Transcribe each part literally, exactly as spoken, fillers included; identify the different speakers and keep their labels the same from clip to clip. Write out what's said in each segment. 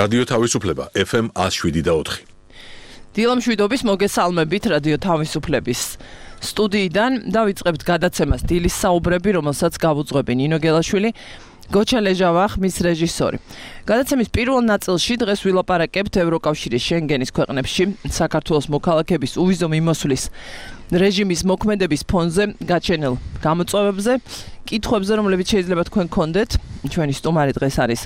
Speaker 1: რადიო თავისუფლება ეფ ემ one oh seven და four.
Speaker 2: დილამშვიდობის მოგესალმებით რადიო თავისუფლების სტუდიიდან დავიწყებთ გადაცემას დილის საუბრები, რომელსაც გავუძღვები ნინო გელაშვილი, გოჩა ლეჟავა, ხმის რეჟისორი. გადაცემის პირველ ნაწილში დღეს ვილაპარაკებთ ევროკავშირის შენგენის ქვეყნებში საქართველოს მოქალაქეების უვიზო მიმოსვლის რეჟიმის მოქმედების ფონზე გაჩენილ გამოწვევებზე, კითხვებზე, რომლებიც შეიძლება თქვენ გქონდეთ. ჩვენი სტუმარი დღეს არის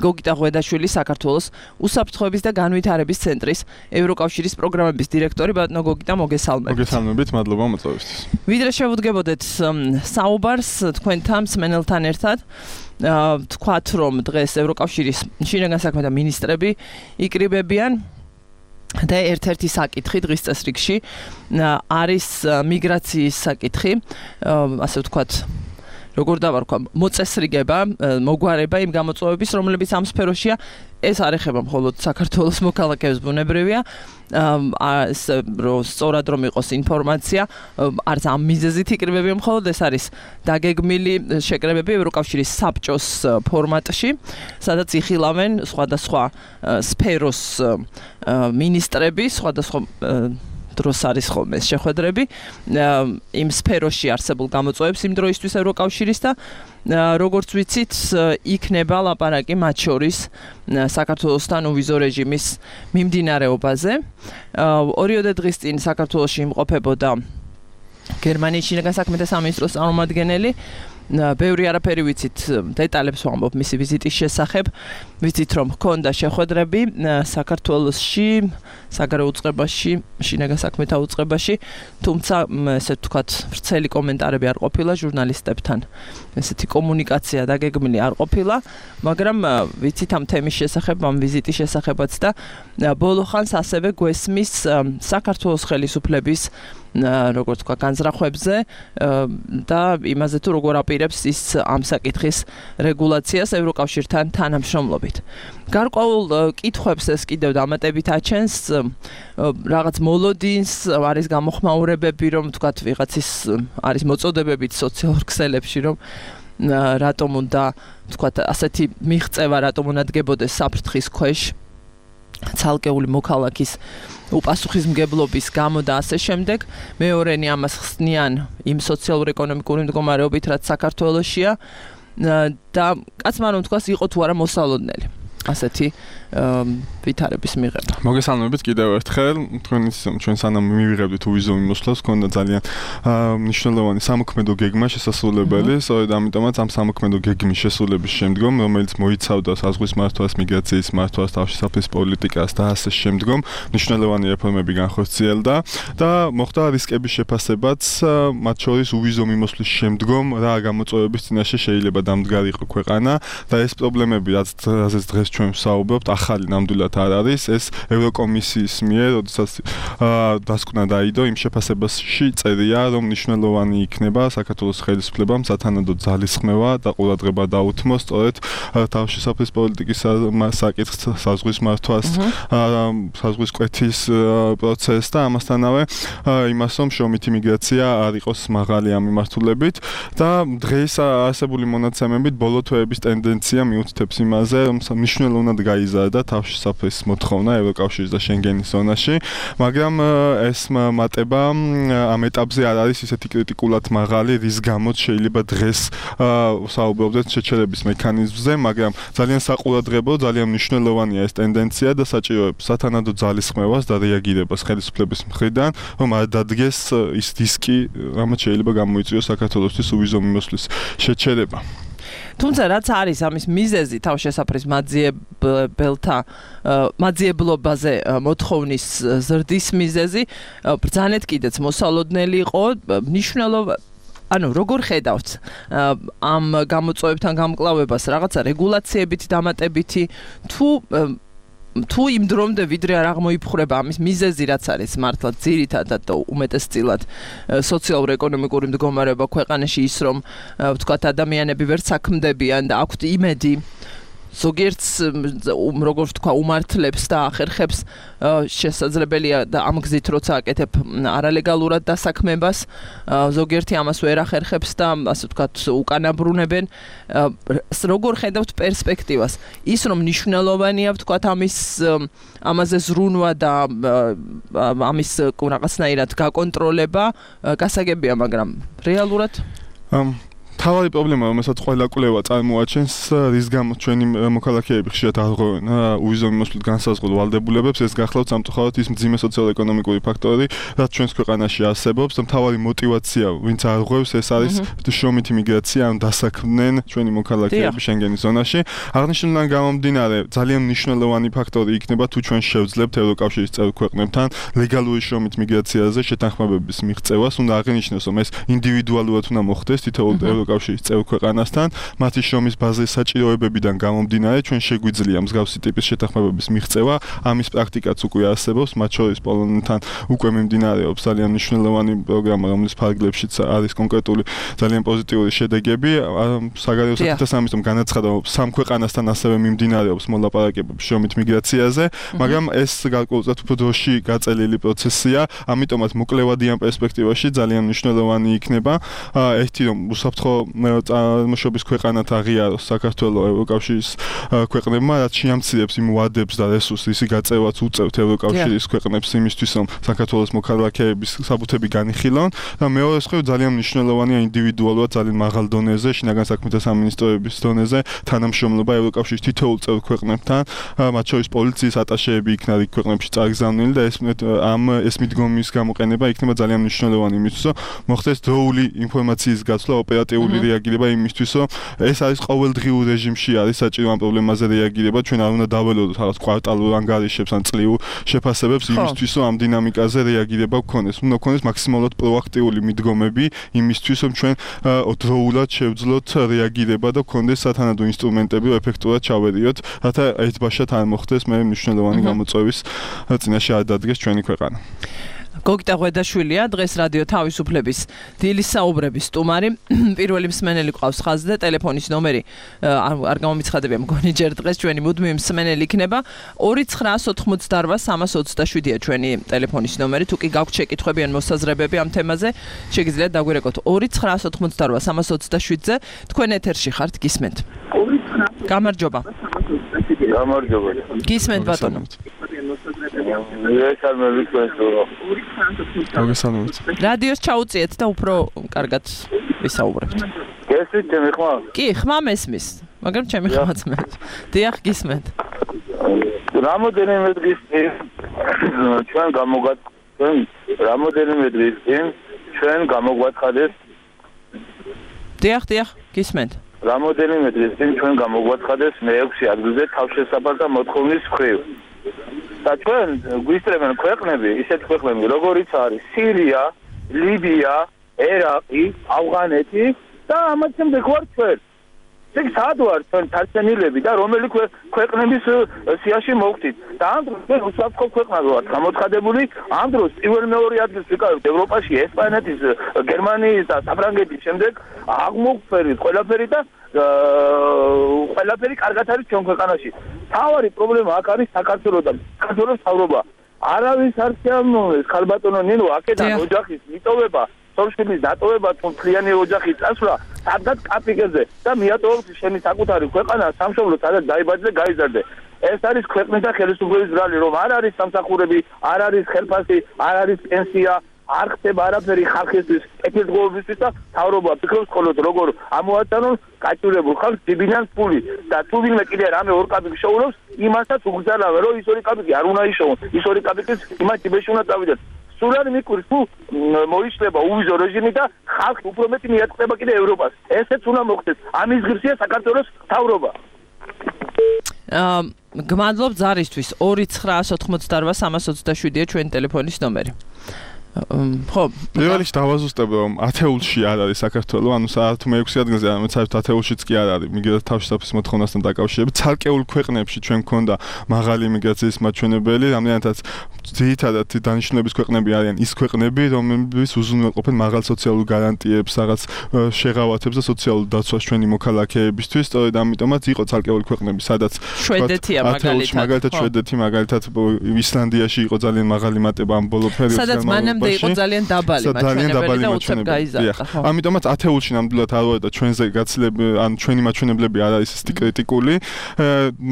Speaker 2: გოგიტა ღვედაშვილი, საქართველოს უსაფრთხოების და განვითარების ცენტრის ევროკავშირის პროგრამების დირექტორი. ბატონო გოგიტა, მოგესალმებით.
Speaker 3: მოგესალმებით, მადლობა მოწვევისთვის.
Speaker 2: ვიდრე შევუდგებოდეთ საუბარს თქვენთან მსმენელთან ერთად, თქვათ რომ დღეს ევროკავშირის შინაგან საქმეთა მინისტრები იკრიბებიან და ერთ-ერთი საკითხი დღის წესრიგში არის მიგრაციის საკითხი, ასე ვთქვათ, როგორ დავარქვა, მოწესრიგება, მოგვარება იმ გამოწვევების, რომლებიც ამ სფეროშია. ეს არ ეხება მხოლოდ საქართველოს მოქალაქეებს, ბუნებრივია, ეს რომ სწორად რომ იყოს ინფორმაცია, არც ამ მიზეზით იკრიბებიან მხოლოდ, ეს არის დაგეგმილი შეკრებები ევროკავშირის საბჭოს ფორმატში, სადაც იხილავენ სხვადასხვა სფეროს მინისტრები, სხვადასხვა დროს არის ხოლმე შეხვედრები იმ სფეროში არსებულ გამოწვევებს იმ დროისთვის ევროკავშირის და როგორც ვიცით, იქნება ლაპარაკი მათ შორის საქართველოსთან უვიზო რეჟიმის მიმდინარეობაზე. ორიოდე დღის წინ საქართველოში იმყოფებოდა გერმანიის შინაგან საქმეთა სამინისტროს წარმომადგენელი. ბევრი არაფერი ვიცით, დეტალებს ვამბობ მისი ვიზიტის შესახებ. ვიცით რომ ჰქონდა შეხვედრები საქართველოში, საგარეო უწყებაში, შინაგან საქმეთა უწყებაში, თუმცა ესე ვთქვათ, ვრცელი კომენტარები არ ყოფილა ჟურნალისტებთან. ესეთი კომუნიკაცია დაგეგმილი არ ყოფილა, მაგრამ ვიცით ამ თემის შესახებ, ამ ვიზიტის შესახებაც და ბოლო ხანს ასევე გვესმის საქართველოს ხელისუფლების როგორც თქვა განზრახვებზე და იმაზე თუ როგორ აპირებს ის ამ საკითხის რეგულაციას ევროკავშირთან თანამშრომლობით. გარკვეულ კითხვებს ეს კიდევ დამატებით აჩენს, რაღაც მოლოდინს, არის გამოხმაურებები, რომ თქვათ ვიღაცის არის მოწოდებებით სოციალურ ქსელებში, რომ რატომ უნდა თქვათ ასეთი მიღწევა რატომ უნდა დგებოდეს საფრთხის ქვეშ ცალკეული მოქალაქის უპასუხისმგებლობის გამო და ასე შემდეგ. მეორენი ამას ხსნიან იმ სოციალურ-ეკონომიკური მდგომარეობით, რაც საქართველოშია და კაცმა რომ თქვას, იყო თუ არა მოსალოდნელი ასეთი ვითარების მიღება.
Speaker 3: მოგესალმებით კიდევ ერთხელ, თქვენის ჩვენ სანამ მივიღებდით უვიზო მიმოსვლას, ჰქონდა ძალიან მნიშვნელოვანი სამოქმედო გეგმა შესასრულებელი, სწორედ ამიტომაც ამ სამოქმედო გეგმის შესრულების შემდგომ, რომელიც მოიცავდა საზღვის მართვას, მიგრაციის მართვას, თავშესაფრის პოლიტიკას და ასე შემდგომ, მნიშვნელოვანი რეფორმები განხორციელდა და მოხდა რისკების შეფასებაც, მათ შორის უვიზო მიმოსვლის შემდგომ რა გამოწვევების წინაშე შეიძლება დამდგარიყო ქვეყანა და ეს პრობლემები, რაზეც დღეს ჩვენ ვსაუბრობთ, ახალი ნამდვილად არ არის, ეს ევროკომისიის მიერ, როდესაც დასკვნა დაიდო, იმ შეფასებაში წერია, რომ მნიშვნელოვანი იქნება საქართველოს ხელისუფლებამ სათანადო ძალისხმევა და ყურადღება დაუთმოს სწორედ თავშესაფრის პოლიტიკის საკითხს, საზღვის მართვას, საზღვის კვეთის პროცესს და ამასთანავე იმას, რომ შრომითი მიგრაცია არ იყოს მაღალი ამ მიმართულებით და დღეს არსებული მონაცემებით ბოლო თვეების ტენდენცია მიუთითებს იმაზე, რომ მნიშვნელოვნად გაიზარდა თავშესაფრის მოთხოვნა ევროკავშირის და შენგენის ზონაში, მაგრამ ეს მატება ამ ეტაპზე არ არის ისეთი კრიტიკულად მაღალი, რის გამოც შეიძლება დღეს საუბრობდეთ შეჩერების მექანიზმზე, მაგრამ ძალიან საყურადღებო, ძალიან მნიშვნელოვანია ეს ტენდენცია და საჭიროებს სათანადო ძალისხმევას და რეაგირებას ხელისუფლების მხრიდან, რომ არ დადგეს ის რისკი, რამაც შეიძლება გამოიწვიოს საქართველოსთვის უვიზო მიმოსვლის შეჩერება.
Speaker 2: თუმცა რაც არის ამის მიზეზი თავშესაფრის მაძიებელთა მაძიებლობაზე მოთხოვნის ზრდის მიზეზი, ბრძანეთ კიდეც მოსალოდნელი იყო, მნიშვნელოვანი ანუ როგორ ხედავთ ამ გამოწვევებთან გამკლავებას, რაღაცა რეგულაციებით დამატებითი თუ თუ იმ დრომდე ვიდრე არ აღმოიფხვრება ამის მიზეზი, რაც არის მართლა ძირითადად და უმეტესწილად სოციალურ-ეკონომიკური მდგომარეობა ქვეყანაში, ის რომ ვთქვათ ადამიანები ვერ საქმდებიან და აქვთ იმედი ზოგიერთს როგორ ვთქვა უმართლებს და ახერხებს შესაძლებელია და ამ გზით როცა აკეთებ არალეგალურად დასაქმებას ზოგიერთი ამას ვერ ახერხებს და ასე ვთქვათ უკანაბრუნებენ როგორ ხედავთ პერსპექტივას ის რომ მნიშვნელოვანია ვთქვათ ამის ამაზე ზრუნვა და ამის რაღაცნაირად გაკონტროლება გასაგებია მაგრამ რეალურად
Speaker 3: თავი პრობლემა რომელსაც ყველა კვლევა წარმოაჩენს რის გამო ჩვენი მოქალაქეები ხშირად აღღვევენ უვიზო მიმოსვლით განსაზღვრულ ვალდებულებებს ეს გახლავთ სამწუხაროდ ის მძიმე სოციალ-ეკონომიკური ფაქტორი რაც ჩვენს ქვეყანაში არსებობს და მთავარი мотиваცია ვინც აღღვევს ეს არის შრომითი მიგრაცია ან დასაქმდნენ ჩვენი მოქალაქეები შენგენის ზონაში აღნიშნულიდან გამომდინარე ძალიან მნიშვნელოვანი ფაქტორი იქნება თუ ჩვენ შევძლებთ ევროკავშირის წევრ ქვეყნებთან ლეგალური შრომით მიგრაციაზე შეთანხმებების მიღწევას უნდა აღინიშნოს რომ ეს ინდივიდუალურად უნდა მოხდეს თითოეულ კავშირის წევრ ქვეყანასთან მათი შრომის ბაზრის საჭიროებებიდან გამომდინარე ჩვენ შეგვიძლია მსგავსი ტიპის შეთანხმებების მიღწევა ამის პრაქტიკაც უკვე არსებობს მათ შორის პოლონეთთან უკვე მიმდინარეობს ძალიან მნიშვნელოვანი პროგრამა რომლის ფარგლებშიც არის კონკრეტული ძალიან პოზიტიური შედეგები საგარეო საქმეთა სამინისტრომ განაცხადა რომ სამ ქვეყანასთან ასევე მიმდინარეობს მოლაპარაკებები შრომით მიგრაციაზე მაგრამ ეს გარკვეულწილად უფრო დროში გაწელილი პროცესია ამიტომაც მოკლევადი ამ პერსპექტივაში ძალიან მნიშვნელოვანი იქნება ერთი რომ უსაფრთხო წარმოშობის ქვეყანად აღიაროს საქართველოს ევროკავშირის ქვეყნებმა, რაც შეამცირებს იმ ვადებს და რესურსს, ისი გაწევაც უწევთ ევროკავშირის ქვეყნებს იმისთვის, რომ საქართველოს მოქალაქეების საბუთები განიხილონ და მეორე მხრივ ძალიან მნიშვნელოვანია ინდივიდუალურად ძალიან მაღალ დონეზე, შინაგან საქმეთა სამინისტროების დონეზე თანამშრომლობა ევროკავშირის თითოეულ წევრ ქვეყნებთან, მათ შორის პოლიციის ატაშეები იქნა რიგ ქვეყნებში წარგზავნილი და ეს ამ ეს მიდგომის გამოყენება იქნება ძალიან მნიშვნელოვანი იმისთვის, რომ მოხდეს დროული ინფორმაციის გაცვლა ოპერატიული რეაგირება იმისთვის, რომ ეს არის ყოველდღიურ რეჟიმში არის საჭირო ამ პრობლემაზე რეაგირება, ჩვენ არ უნდა დაველოდოთ რაღაც კვარტალურ ანგარიშებს ან წლიურ შეფასებებს იმისთვის, რომ ამ დინამიკაზე რეაგირება გქონდეს. უნდა გქონდეს მაქსიმალურად პროაქტიული მიდგომები იმისთვის, რომ ჩვენ დროულად შევძლოთ რეაგირება და გქონდეს სათანადო ინსტრუმენტები, რომ ეფექტურად ჩავედიოთ, რათა ერთბაშად არ მოხდეს მე მნიშვნელოვანი გამოწვევის წინაშე არ დადგეს ჩვენი ქვეყანა.
Speaker 2: გოგიტა ღვედაშვილია დღეს რადიო თავისუფლების დილის საუბრების სტუმარი პირველი მსმენელი ყავს ხაზზე და ტელეფონის ნომერი არ გამომიცხადებია მგონი ჯერ დღეს ჩვენი მუდმივი მსმენელი იქნება ორი ცხრაას ოთხმოცდაარვა სამას ოცდაშვიდია ჩვენი ტელეფონის ნომერი თუ კი გაქვთ შეკითხვები ან მოსაზრებები ამ თემაზე შეგიძლიათ დაგვირეკოთ ორი ცხრაას ოთხმოცდაარვა სამას ოცდაშვიდზე თქვენ ეთერში ხართ გისმენთ გამარჯობა
Speaker 4: გამარჯობა
Speaker 2: გისმენთ ბატონო რადიოს ჩაუწიეთ და უფრო კარგად ვისაუბრებთ.
Speaker 4: გესმით ჩემი ხმა?
Speaker 2: კი, ხმა მესმის, მაგრამ ჩემი ხმაც მე. დიახ, გისმენთ.
Speaker 4: რამოდენიმე დღის წინ ჩვენ გამოგვაცხადეთ, რამოდენიმე დღის წინ ჩვენ გამოგვაცხადეთ.
Speaker 2: დიახ, დიახ, გისმენთ.
Speaker 4: რამოდენიმე დღის წინ ჩვენ გამოგვაცხადეთ მეექვსე ადგილზე თავშესაფართა მოთხოვნის მხრივ. და ჩვენ გვისწრებენ ქვეყნები, ისეთ ქვეყნები, როგორიც არის სირია, ლიბია, ერაყი, ავღანეთი და ამათ შემდეგ ვარ ჩვენ. ეგ სად ვარ ჩვენ თარცენილები და რომელი ქვეყნების სიაში მოვხდით. და ამ დროს ჩვენ უსაფრთხო ქვეყნად ვართ გამოცხადებული, ამ დროს პირველ მეორე ადგილს ვიკავებთ ევროპაში, ესპანეთის, გერმანიის და საფრანგეთის შემდეგ აღმოგვფერით ყველაფერი და ყველაფერი კარგად არის ჩვენ ქვეყანაში. თავარი პრობლემა აქ არის საქართველოს და საქართველოს მთავრობა. არავის არ შეამოვნებს ხალბატონო ნინო აქედან ოჯახის მიტოვება, სორშილის დატოვება თუ მთლიანი ოჯახის წასვლა სადღაც კაპიკებზე და მიატოვებს შენი საკუთარი ქვეყანა სამშობლო სადაც დაიბადე და გაიზარდე. ეს არის ქვეყნის და ხელისუფლების ბრალი, რომ არ არის სამსახურები, არ არის ხელფასი, არ არის პენსია, არ ხდება არაფერი ხალხისთვის, კეთილდღეობისთვის და მთავრობა ფიქრობს მხოლოდ როგორ ამოაწანონ გაჭირებულ ხალხს დებინან ფული და თუ ვინმე კიდე რამე ორ კაპიკს შოულობს, იმასაც უგზავნავ, რომ ის ორი კაპიკი არ უნდა იშოვონ, ის ორი კაპიკის იმას ჯიბეში უნდა წავიდეს. სულ არ მიკვირს თუ მოიშლება უვიზო რეჟიმი და ხალხი უფრო მეტი მიატყდება კიდე ევროპას. ესეც უნდა მოხდეს. ამის ღირსია საქართველოს მთავრობა.
Speaker 2: აა გმადლობ ზარისთვის ორი ცხრაას ოთხმოცდაარვა სამას ოცდაშვიდია ჩვენი ტელეფონის ნომერი. ხო,
Speaker 3: პირველ რიგში დავაზუსტებ, რომ ათეულში არ არის საქართველოს, ანუ საათი მეექვსე ადგილზე, ანუ საერთოდ ათეულშიც კი არ არის. მიგრაციის თავშესაფრის მოთხოვნასთან დაკავშირებით, ცალკეულ ქვეყნებში ჩვენ გქონდა მაღალი მიგრაციის მაჩვენებელი, რამდენადაც ძირითადად დანიშნულების ქვეყნები არიან ის ქვეყნები, რომლებიც უზრუნველყოფენ მაღალ სოციალურ გარანტიებს, რაღაც შეღავათებს და სოციალურ დაცვას ჩვენი მოქალაქეებისთვის. სწორედ ამიტომაც იყო ცალკეული ქვეყნები, სადაც
Speaker 2: შვედეთია მაგალითად,
Speaker 3: მაგალითად შვედეთი, მაგალითად ისლანდიაში იყო ძალიან მაღალი მატება ამ ბოლო პერიოდში.
Speaker 2: სადაც მანამდე იყო ძალიან დაბალი მაჩვენებელი და უცებ გაიზარდა.
Speaker 3: ამიტომაც ათეულში ნამდვილად არ ვარ და ჩვენზე გაცილები, ან ჩვენი მაჩვენებლები არ არის ისეთი კრიტიკული,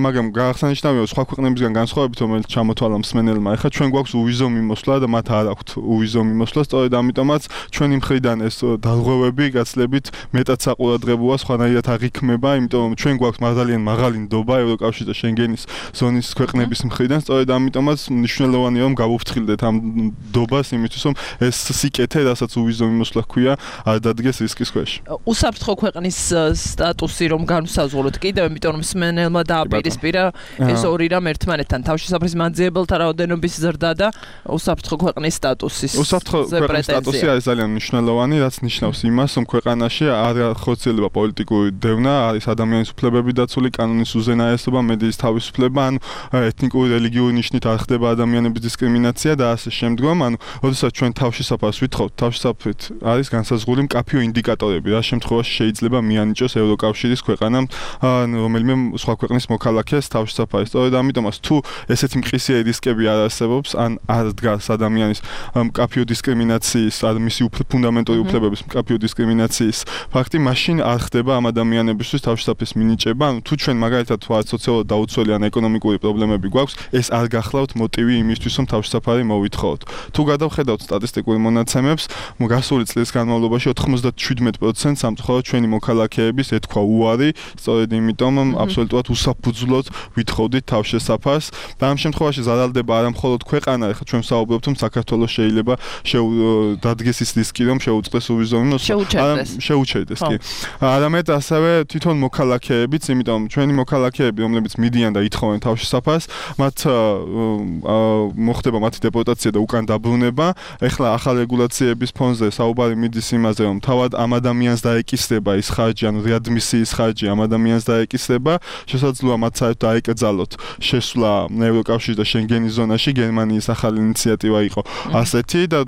Speaker 3: მაგრამ გაახსენიშნავია, სხვა ქვეყნებისგან განსხვავებით, რომელიც ჩამოთვალა მსმენელმა, ეხლა ჩვენ გვაქვს უვიზო მიმოსვლა და მათ არ აქვთ უვიზო მიმოსვლა, სწორედ ამიტომაც ჩვენი მხრიდან ეს დარღვევები გაცილებით მეტად საყურადღებოა, სხვანაირად აღიქმება, იმიტომ რომ ჩვენ გვაქვს ძალიან მაღალი ნდობა ევროკავშირის და შენგენის ზონის ქვეყნების მხრიდან, სწორედ ამიტომაც მნიშვნელოვანია რომ გავუფრთხილდეთ ამ ნდობას იმისთვის, რომ ეს სიკეთე, რასაც უვიზო მიმოსვლა ჰქვია, არ დადგეს რისკის ქვეშ.
Speaker 2: უსაფრთხო ქვეყნის სტატუსი რომ განვსაზღვროთ კიდევ, იმიტომ რომ მსმენელმა დააპირისპირა ეს ორი რამ ერთმანეთთან, თავშესაფრის მანძიებელთა რაოდენობის ზრდა და უსაფრთხო ქვეყნის სტატუსის.
Speaker 3: უსაფრთხო ქვეყნის სტატუსი არის ძალიან მნიშვნელოვანი, რაც ნიშნავს იმას, რომ ქვეყანაში არ ხორციელდება პოლიტიკური დევნა, არის ადამიანის უფლებები დაცული, კანონის უზენაესობა, მედიის თავისუფლება, ანუ ეთნიკური, რელიგიური ნიშნით არ ხდება ადამიანების დისკრიმინაცია და ასე შემდგომ, ანუ როდესაც ჩვენ თავშესაფარს ვითხოვთ, თავშესაფრით არის განსაზღვრული მკაფიო ინდიკატორები, რა შემთხვევაში შეიძლება მიანიჭოს ევროკავშირის ქვეყანამ რომელიმე სხვა ქვეყნის მოქალაქეს თავშესაფარი. სწორედ ამიტომაც თუ ესეთი მყისიერი რისკები არ არსებობს, ან არ დგას ადამიანის მკაფიო დისკრიმინაციის, ან მისი ფუნდამენტური უფლებების მკაფიო დისკრიმინაციის ფაქტი, მაშინ არ ხდება ამ ადამიანებისთვის თავშესაფრის მინიჭება. ანუ თუ ჩვენ მაგალითად ვართ სოციალურად დაუცველი ან ეკონომიკური პრობლემები გვაქვს, ეს არ გახლავთ მოტივი იმისთვის, რომ თავშესაფარი მოვითხოვოთ. თუ გადავხედავთ სტატისტიკურ მონაცემებს, გასული წლის განმავლობაში ოცდაშვიდ პროცენტს სამწუხაროდ ჩვენი მოქალაქეების ეთქვა უარი, სწორედ იმიტომ რომ აბსოლუტურად უსაფუძვლოდ ვითხოვდით თავშესაფარს. და ამ შემთხვევაში ზარალდება არა მხოლოდ ქვეყანა, ახლა ჩვენ ვსაუბრობთ, რომ საქართველოს შეიძლება დადგეს ის რისკი, რომ შეუწყდეს უვიზო მიმოსვლა, შეუჩერდეს კი. არამედ ასევე თვითონ მოქალაქეებიც, იმიტომ რომ ჩვენი მოქალაქეები, რომლებიც მიდიან და ითხოვენ თავშესაფარს, მათ მოხდება მათი დეპორტაცია და უკან დაბრუნება. ეხლა ახალ რეგულაციების ფონზე საუბარი მიდის იმაზე, რომ თავად ამ ადამიანს დაეკისრება ის ხარჯი, ანუ რეადმისიის ხარჯი ამ ადამიანს დაეკისრება, შესაძლოა მათ საერთოდ დაეკრძალოთ შესვლა ევროკავშირის და შენგენის ზონაში. გერმანიის ახალი ინიციატივა იყო ასეთი და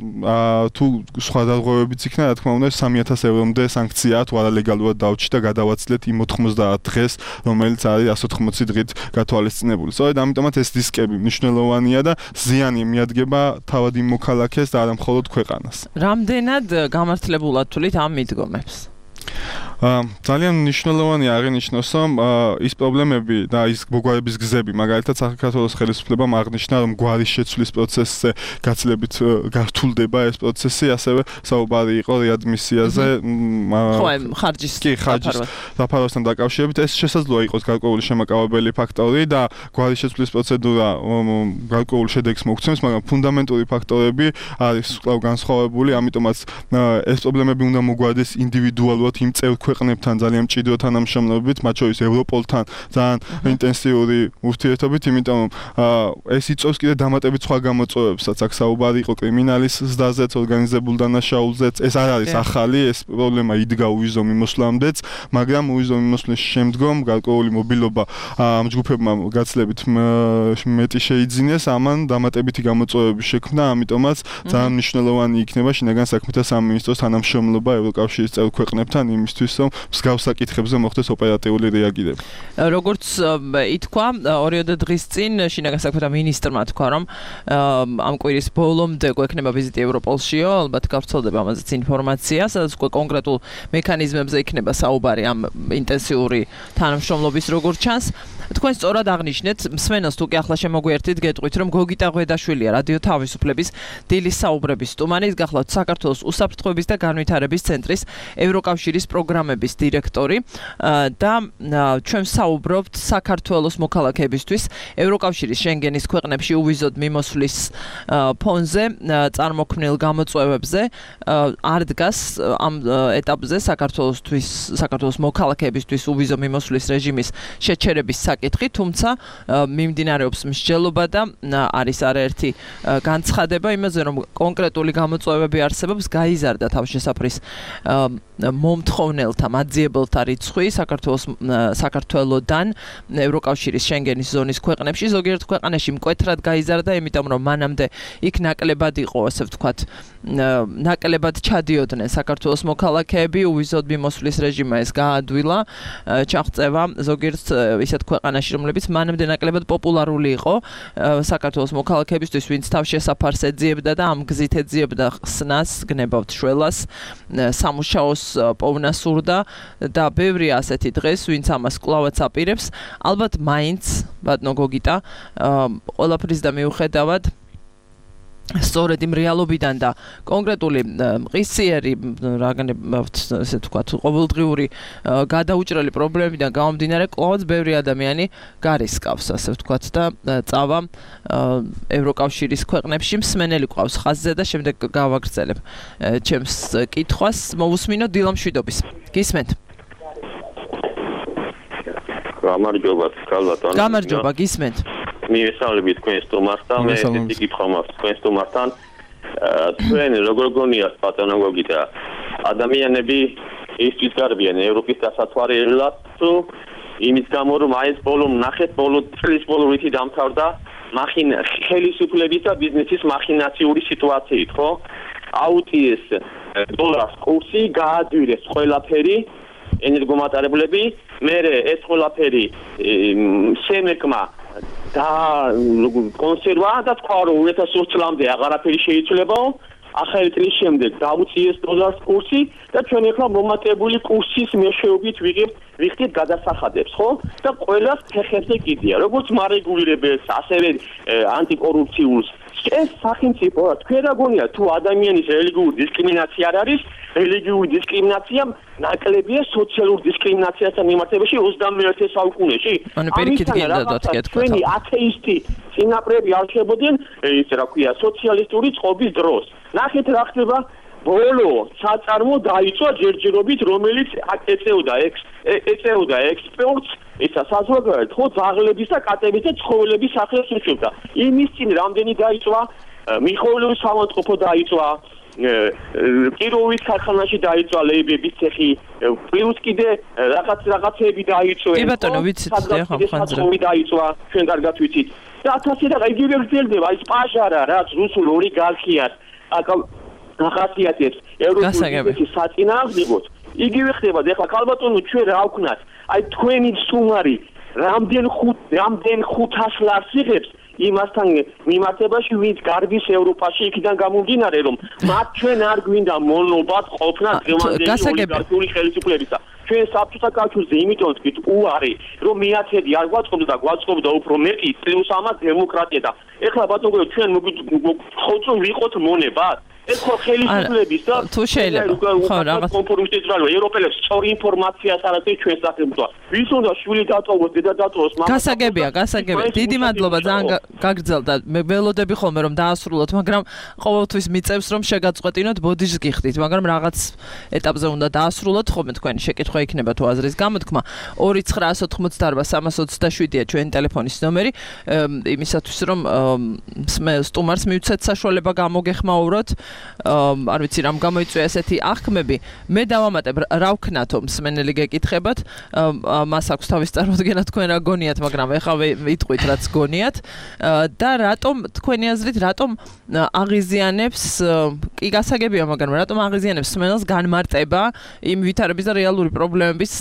Speaker 3: თუ სხვა დარღვევებიც იქნა, რა თქმა უნდა, სამი ათას ევრომდე სანქციაა თუ არალეგალურად დავჭი და გადავაცილეთ იმ ოცდაათ დღეს, რომელიც არის εκατს ოთხმოცი დღით გათვალისწინებული. სწორედ ამიტომაც ეს რისკები მნიშვნელოვანია და ზიანი მიადგება თავად იმ მოქალაქეს და არა მხოლოდ ქვეყანას.
Speaker 2: რამდენად გამართლებულად თვლით ამ მიდგომებს?
Speaker 3: ძალიან მნიშვნელოვანია აღინიშნოს, რომ ის პრობლემები და ის მოგვარების გზები, მაგალითად საქართველოს ხელისუფლებამ აღნიშნა, რომ გვარის შეცვლის პროცესზე გაცილებით გართულდება ეს პროცესი, ასევე საუბარი იყო რეადმისიაზე,
Speaker 2: ხო, ხარჯის
Speaker 3: დაფარვასთან დაკავშირებით. ეს შესაძლოა იყოს გარკვეული შემაკავებელი ფაქტორი და გვარის შეცვლის პროცედურა გარკვეულ შედეგს მოგცემს, მაგრამ ფუნდამენტური ფაქტორები არის კვლავ განსხვავებული, ამიტომაც ეს პრობლემები უნდა მოგვარდეს ინდივიდუალურად იმ წევრ ქვეყნებთან ძალიან მჭიდრო თანამშრომლობით, მათ შორის ევროპოლთან ძალიან ინტენსიური ურთიერთობით, იმიტომ რომ ეს იწვევს კიდე დამატებით სხვა გამოწვევებსაც. აქ საუბარი იყო კრიმინალის ზრდაზეც, ორგანიზებულ დანაშაულზეც. ეს არ არის ახალი, ეს პრობლემა იდგა უვიზო მიმოსვლამდეც, მაგრამ უვიზო მიმოსვლის შემდგომ გარკვეული მობილობა ამ ჯგუფებმა გაცილებით მეტი შეიძინეს, ამან დამატებითი გამოწვევები შექმნა, ამიტომაც ძალიან მნიშვნელოვანი იქნება შინაგან საქმეთა სამინისტროს თანამშრომლობა ევროკავშირის წევრ ქვეყნებთან იმისთვის, რომ მსგავს საკითხებზე მოხდეს ოპერატიული რეაგირება.
Speaker 2: როგორც ითქვა, ორიოდე დღის წინ შინაგან საქმეთა მინისტრმა თქვა, რომ ამ კვირის ბოლომდე გვექნება ვიზიტი ევროპოლშიო, ალბათ გავრცელდება ამაზეც ინფორმაცია, სადაც უკვე კონკრეტულ მექანიზმებზე იქნება საუბარი ამ ინტენსიური თანამშრომლობის როგორც ჩანს. თქვენ სწორად აღნიშნეთ, მსმენელს თუ კი ახლა შემოგვიერთით, გეტყვით, რომ გოგიტა ღვედაშვილია, რადიო თავისუფლების დილის საუბრების სტუმარი, გახლავთ საქართველოს უსაფრთხოების და განვითარების ცენტრის ევროკავშირის პროგრამების დირექტორი და ჩვენ საუბრობთ საქართველოს მოქალაქეებისთვის ევროკავშირის შენგენის ქვეყნებში უვიზოდ მიმოსვლის ფონზე წარმოქმნილ გამოწვევებზე. არ დგას ამ ეტაპზე საქართველოსთვის, საქართველოს მოქალაქეებისთვის უვიზო მიმოსვლის რეჟიმის შეჩერების საკითხი. საკითხი, თუმცა მიმდინარეობს მსჯელობა და არის არაერთი განცხადება იმაზე, რომ კონკრეტული გამოწვევები არსებობს, გაიზარდა თავშესაფრის მომთხოვნელთა, მაძიებელთა რიცხვი საქართველოს საქართველოდან ევროკავშირის შენგენის ზონის ქვეყნებში, ზოგიერთ ქვეყანაში მკვეთრად გაიზარდა, იმიტომ რომ მანამდე იქ ნაკლებად იყო, ასე ვთქვათ, ნაკლებად ჩადიოდნენ საქართველოს მოქალაქეები, უვიზოდ მიმოსვლის რეჟიმმა ეს გაადვილა, ჩაღწევა ზოგიერთ ისეთ ქვეყანაში, რომლებიც მანამდე ნაკლებად პოპულარული იყო საქართველოს მოქალაქეებისთვის, ვინც თავშესაფარს ეძიებდა და ამ გზით ეძიებდა ხსნას, გნებავთ შველას, სამუშაოს პოვნა სურდა და ბევრი ასეთი დღეს, ვინც ამას კვლავაც აპირებს, ალბათ მაინც, ბატონო გოგიტა, ყველაფრის და მიუხედავად სწორედ იმ რეალობიდან და კონკრეტული მყისიერი რაღაცნაირად ესე ვთქვათ ყოველდღიური გადაუჭრელი პრობლემებიდან გამომდინარე კვლავაც ბევრი ადამიანი გარისკავს ასე ვთქვათ და წავა ევროკავშირის ქვეყნებში მსმენელი ყავს ხაზზე და შემდეგ გავაგრძელებ ჩემს კითხვას მოვუსმინო დილა მშვიდობის გისმენთ
Speaker 5: გამარჯობა ქალბატონო
Speaker 2: გამარჯობა გისმენთ
Speaker 5: მივესალმებით თქვენს სტუმართან, მე ესეთი კითხვა მაქვს თქვენს სტუმართან. თქვენ როგორ გონიათ ბატონო გოგიტა, ადამიანები ისთვის გარბიან ევროპის დასათვალიერებლად, თუ იმის გამო რომ აი ეს ბოლო ნახეთ, ბოლო წლის ბოლო რითი დამთავრდა მახინ ხელისუფლების და ბიზნესის მახინაციური სიტუაციით, ხო? აუტიეს დოლარის კურსი გაადვილეს ყველაფერი ენერგომატარებლები, მე ეს ყველაფერი შემეკმა და კონსერვა და თქვა რომ ორი ათას ოც წლამდე აღარაფერი შეიძლებაო ახალი წლის შემდეგ დაუწიეს დოლარის კურსი და ჩვენ ახლა მომატებული კურსის მეშვეობით ვიღებთ ვიხდით გადასახადებს ხო და ყველას ფეხებზე კიდია როგორც მარეგულირებელს ასევე ანტიკორუფციულს ეს სახელმწიფო თქვენ რა გონია თუ ადამიანის რელიგიური დისკრიმინაცია არ არის რელიგიური დისკრიმინაცია ნაკლებია სოციალურ დისკრიმინაციასთან მიმართებაში ოცდამეერთე საუკუნეში თქვენი ათეისტი წინაპრები არ ხდებოდნენ ის რა ქვია სოციალისტური წყობის დროს ნახეთ რა ხდება ბოლო საწარმო დაიწყო ჯერჯერობით რომელიც ეწეოდა ეწეოდა ექსპორტს ისა საზოგადოებრივ ხო ძაღლების და კატების და ცხოველების სახელს უშვებდა იმის წინ რამდენი დაიწვა მიხოილოვის სამონტყოფო დაიწვა კიროვის ქარხანაში დაიწვა ლეიბების ცეხი პლუს კიდე რაღაც რაღაცები დაიწვა
Speaker 2: კი ბატონო ვიცით ახლა ხანძრა
Speaker 5: დაიწვა ჩვენ კარგად ვიცით და ათასი და იგივე გრძელდება ის პაჟარა რაც რუსულ ოლიგარქიას ახასიათებს ევროპის საწინააღმდეგოდ იგივე ხდება და ახლა ქალბატონო ჩვენ რა ვქნათ აი თქვენი სტუმარი რამდენ ხუთ რამდენ ხუთას ლარს იღებს იმასთან მიმართებაში ვინც გარბის ევროპაში იქიდან გამომდინარე რომ მათ ჩვენ არ გვინდა მონოპოლად ყოფნა დღევანდელი ოლიგარქიული ხელისუფლებისა ჩვენ საბჭოთა კავშირზე იმიტომ ვთქვით უარი რომ მეათედი არ გვაწყობდა და გვაწყობდა უფრო მეტი პლუს ამას დემოკრატია და ეხლა ბატონო ჩვენ მოგვიწევთ რომ ვიყოთ მონებად ეს ხო ხელისუფლების და
Speaker 2: თუ შეიძლება ხო რაღაც
Speaker 5: კომპრომისის რა ევროპელებს სწორი ინფორმაციას არ აქვს ჩვენ სახელმწიფო ვის უნდა შვილი დატოვოს დედა დატოვოს მამա
Speaker 2: გასაგებია გასაგებია დიდი მადლობა ძალიან გაგრძელდა მე ველოდები ხოლმე რომ დაასრულოთ მაგრამ ყოველთვის მიწევს რომ შეგაწყვეტინოთ ბოდიშს გიხდით მაგრამ რაღაც ეტაპზე უნდა დაასრულოთ ხოლმე თქვენი შეკითხვა იქნება თუ აზრის გამოთქმა ორი ცხრაასი ოთხმოცდაარბა სამას ოცდაშვიდია ჩვენი ტელეფონის ნომერი იმისათვის რომ სტუმარს მივცეთ საშუალება გამოგეხმაუროთ არ ვიცი რამ გამოიწვია ესეთი აღქმები მე დავამატებ რა ვქნათო მსმენელი გეკითხებათ მას აქვს თავის წარმოდგენა თქვენ რა გონიათ მაგრამ ეხლა ვიტყვით რაც გონიათ და რატომ თქვენი აზრით რატომ აღიზიანებს კი გასაგებია მაგრამ რატომ აღიზიანებს მსმენელს განმარტება იმ ვითარების და რეალური პრობლემების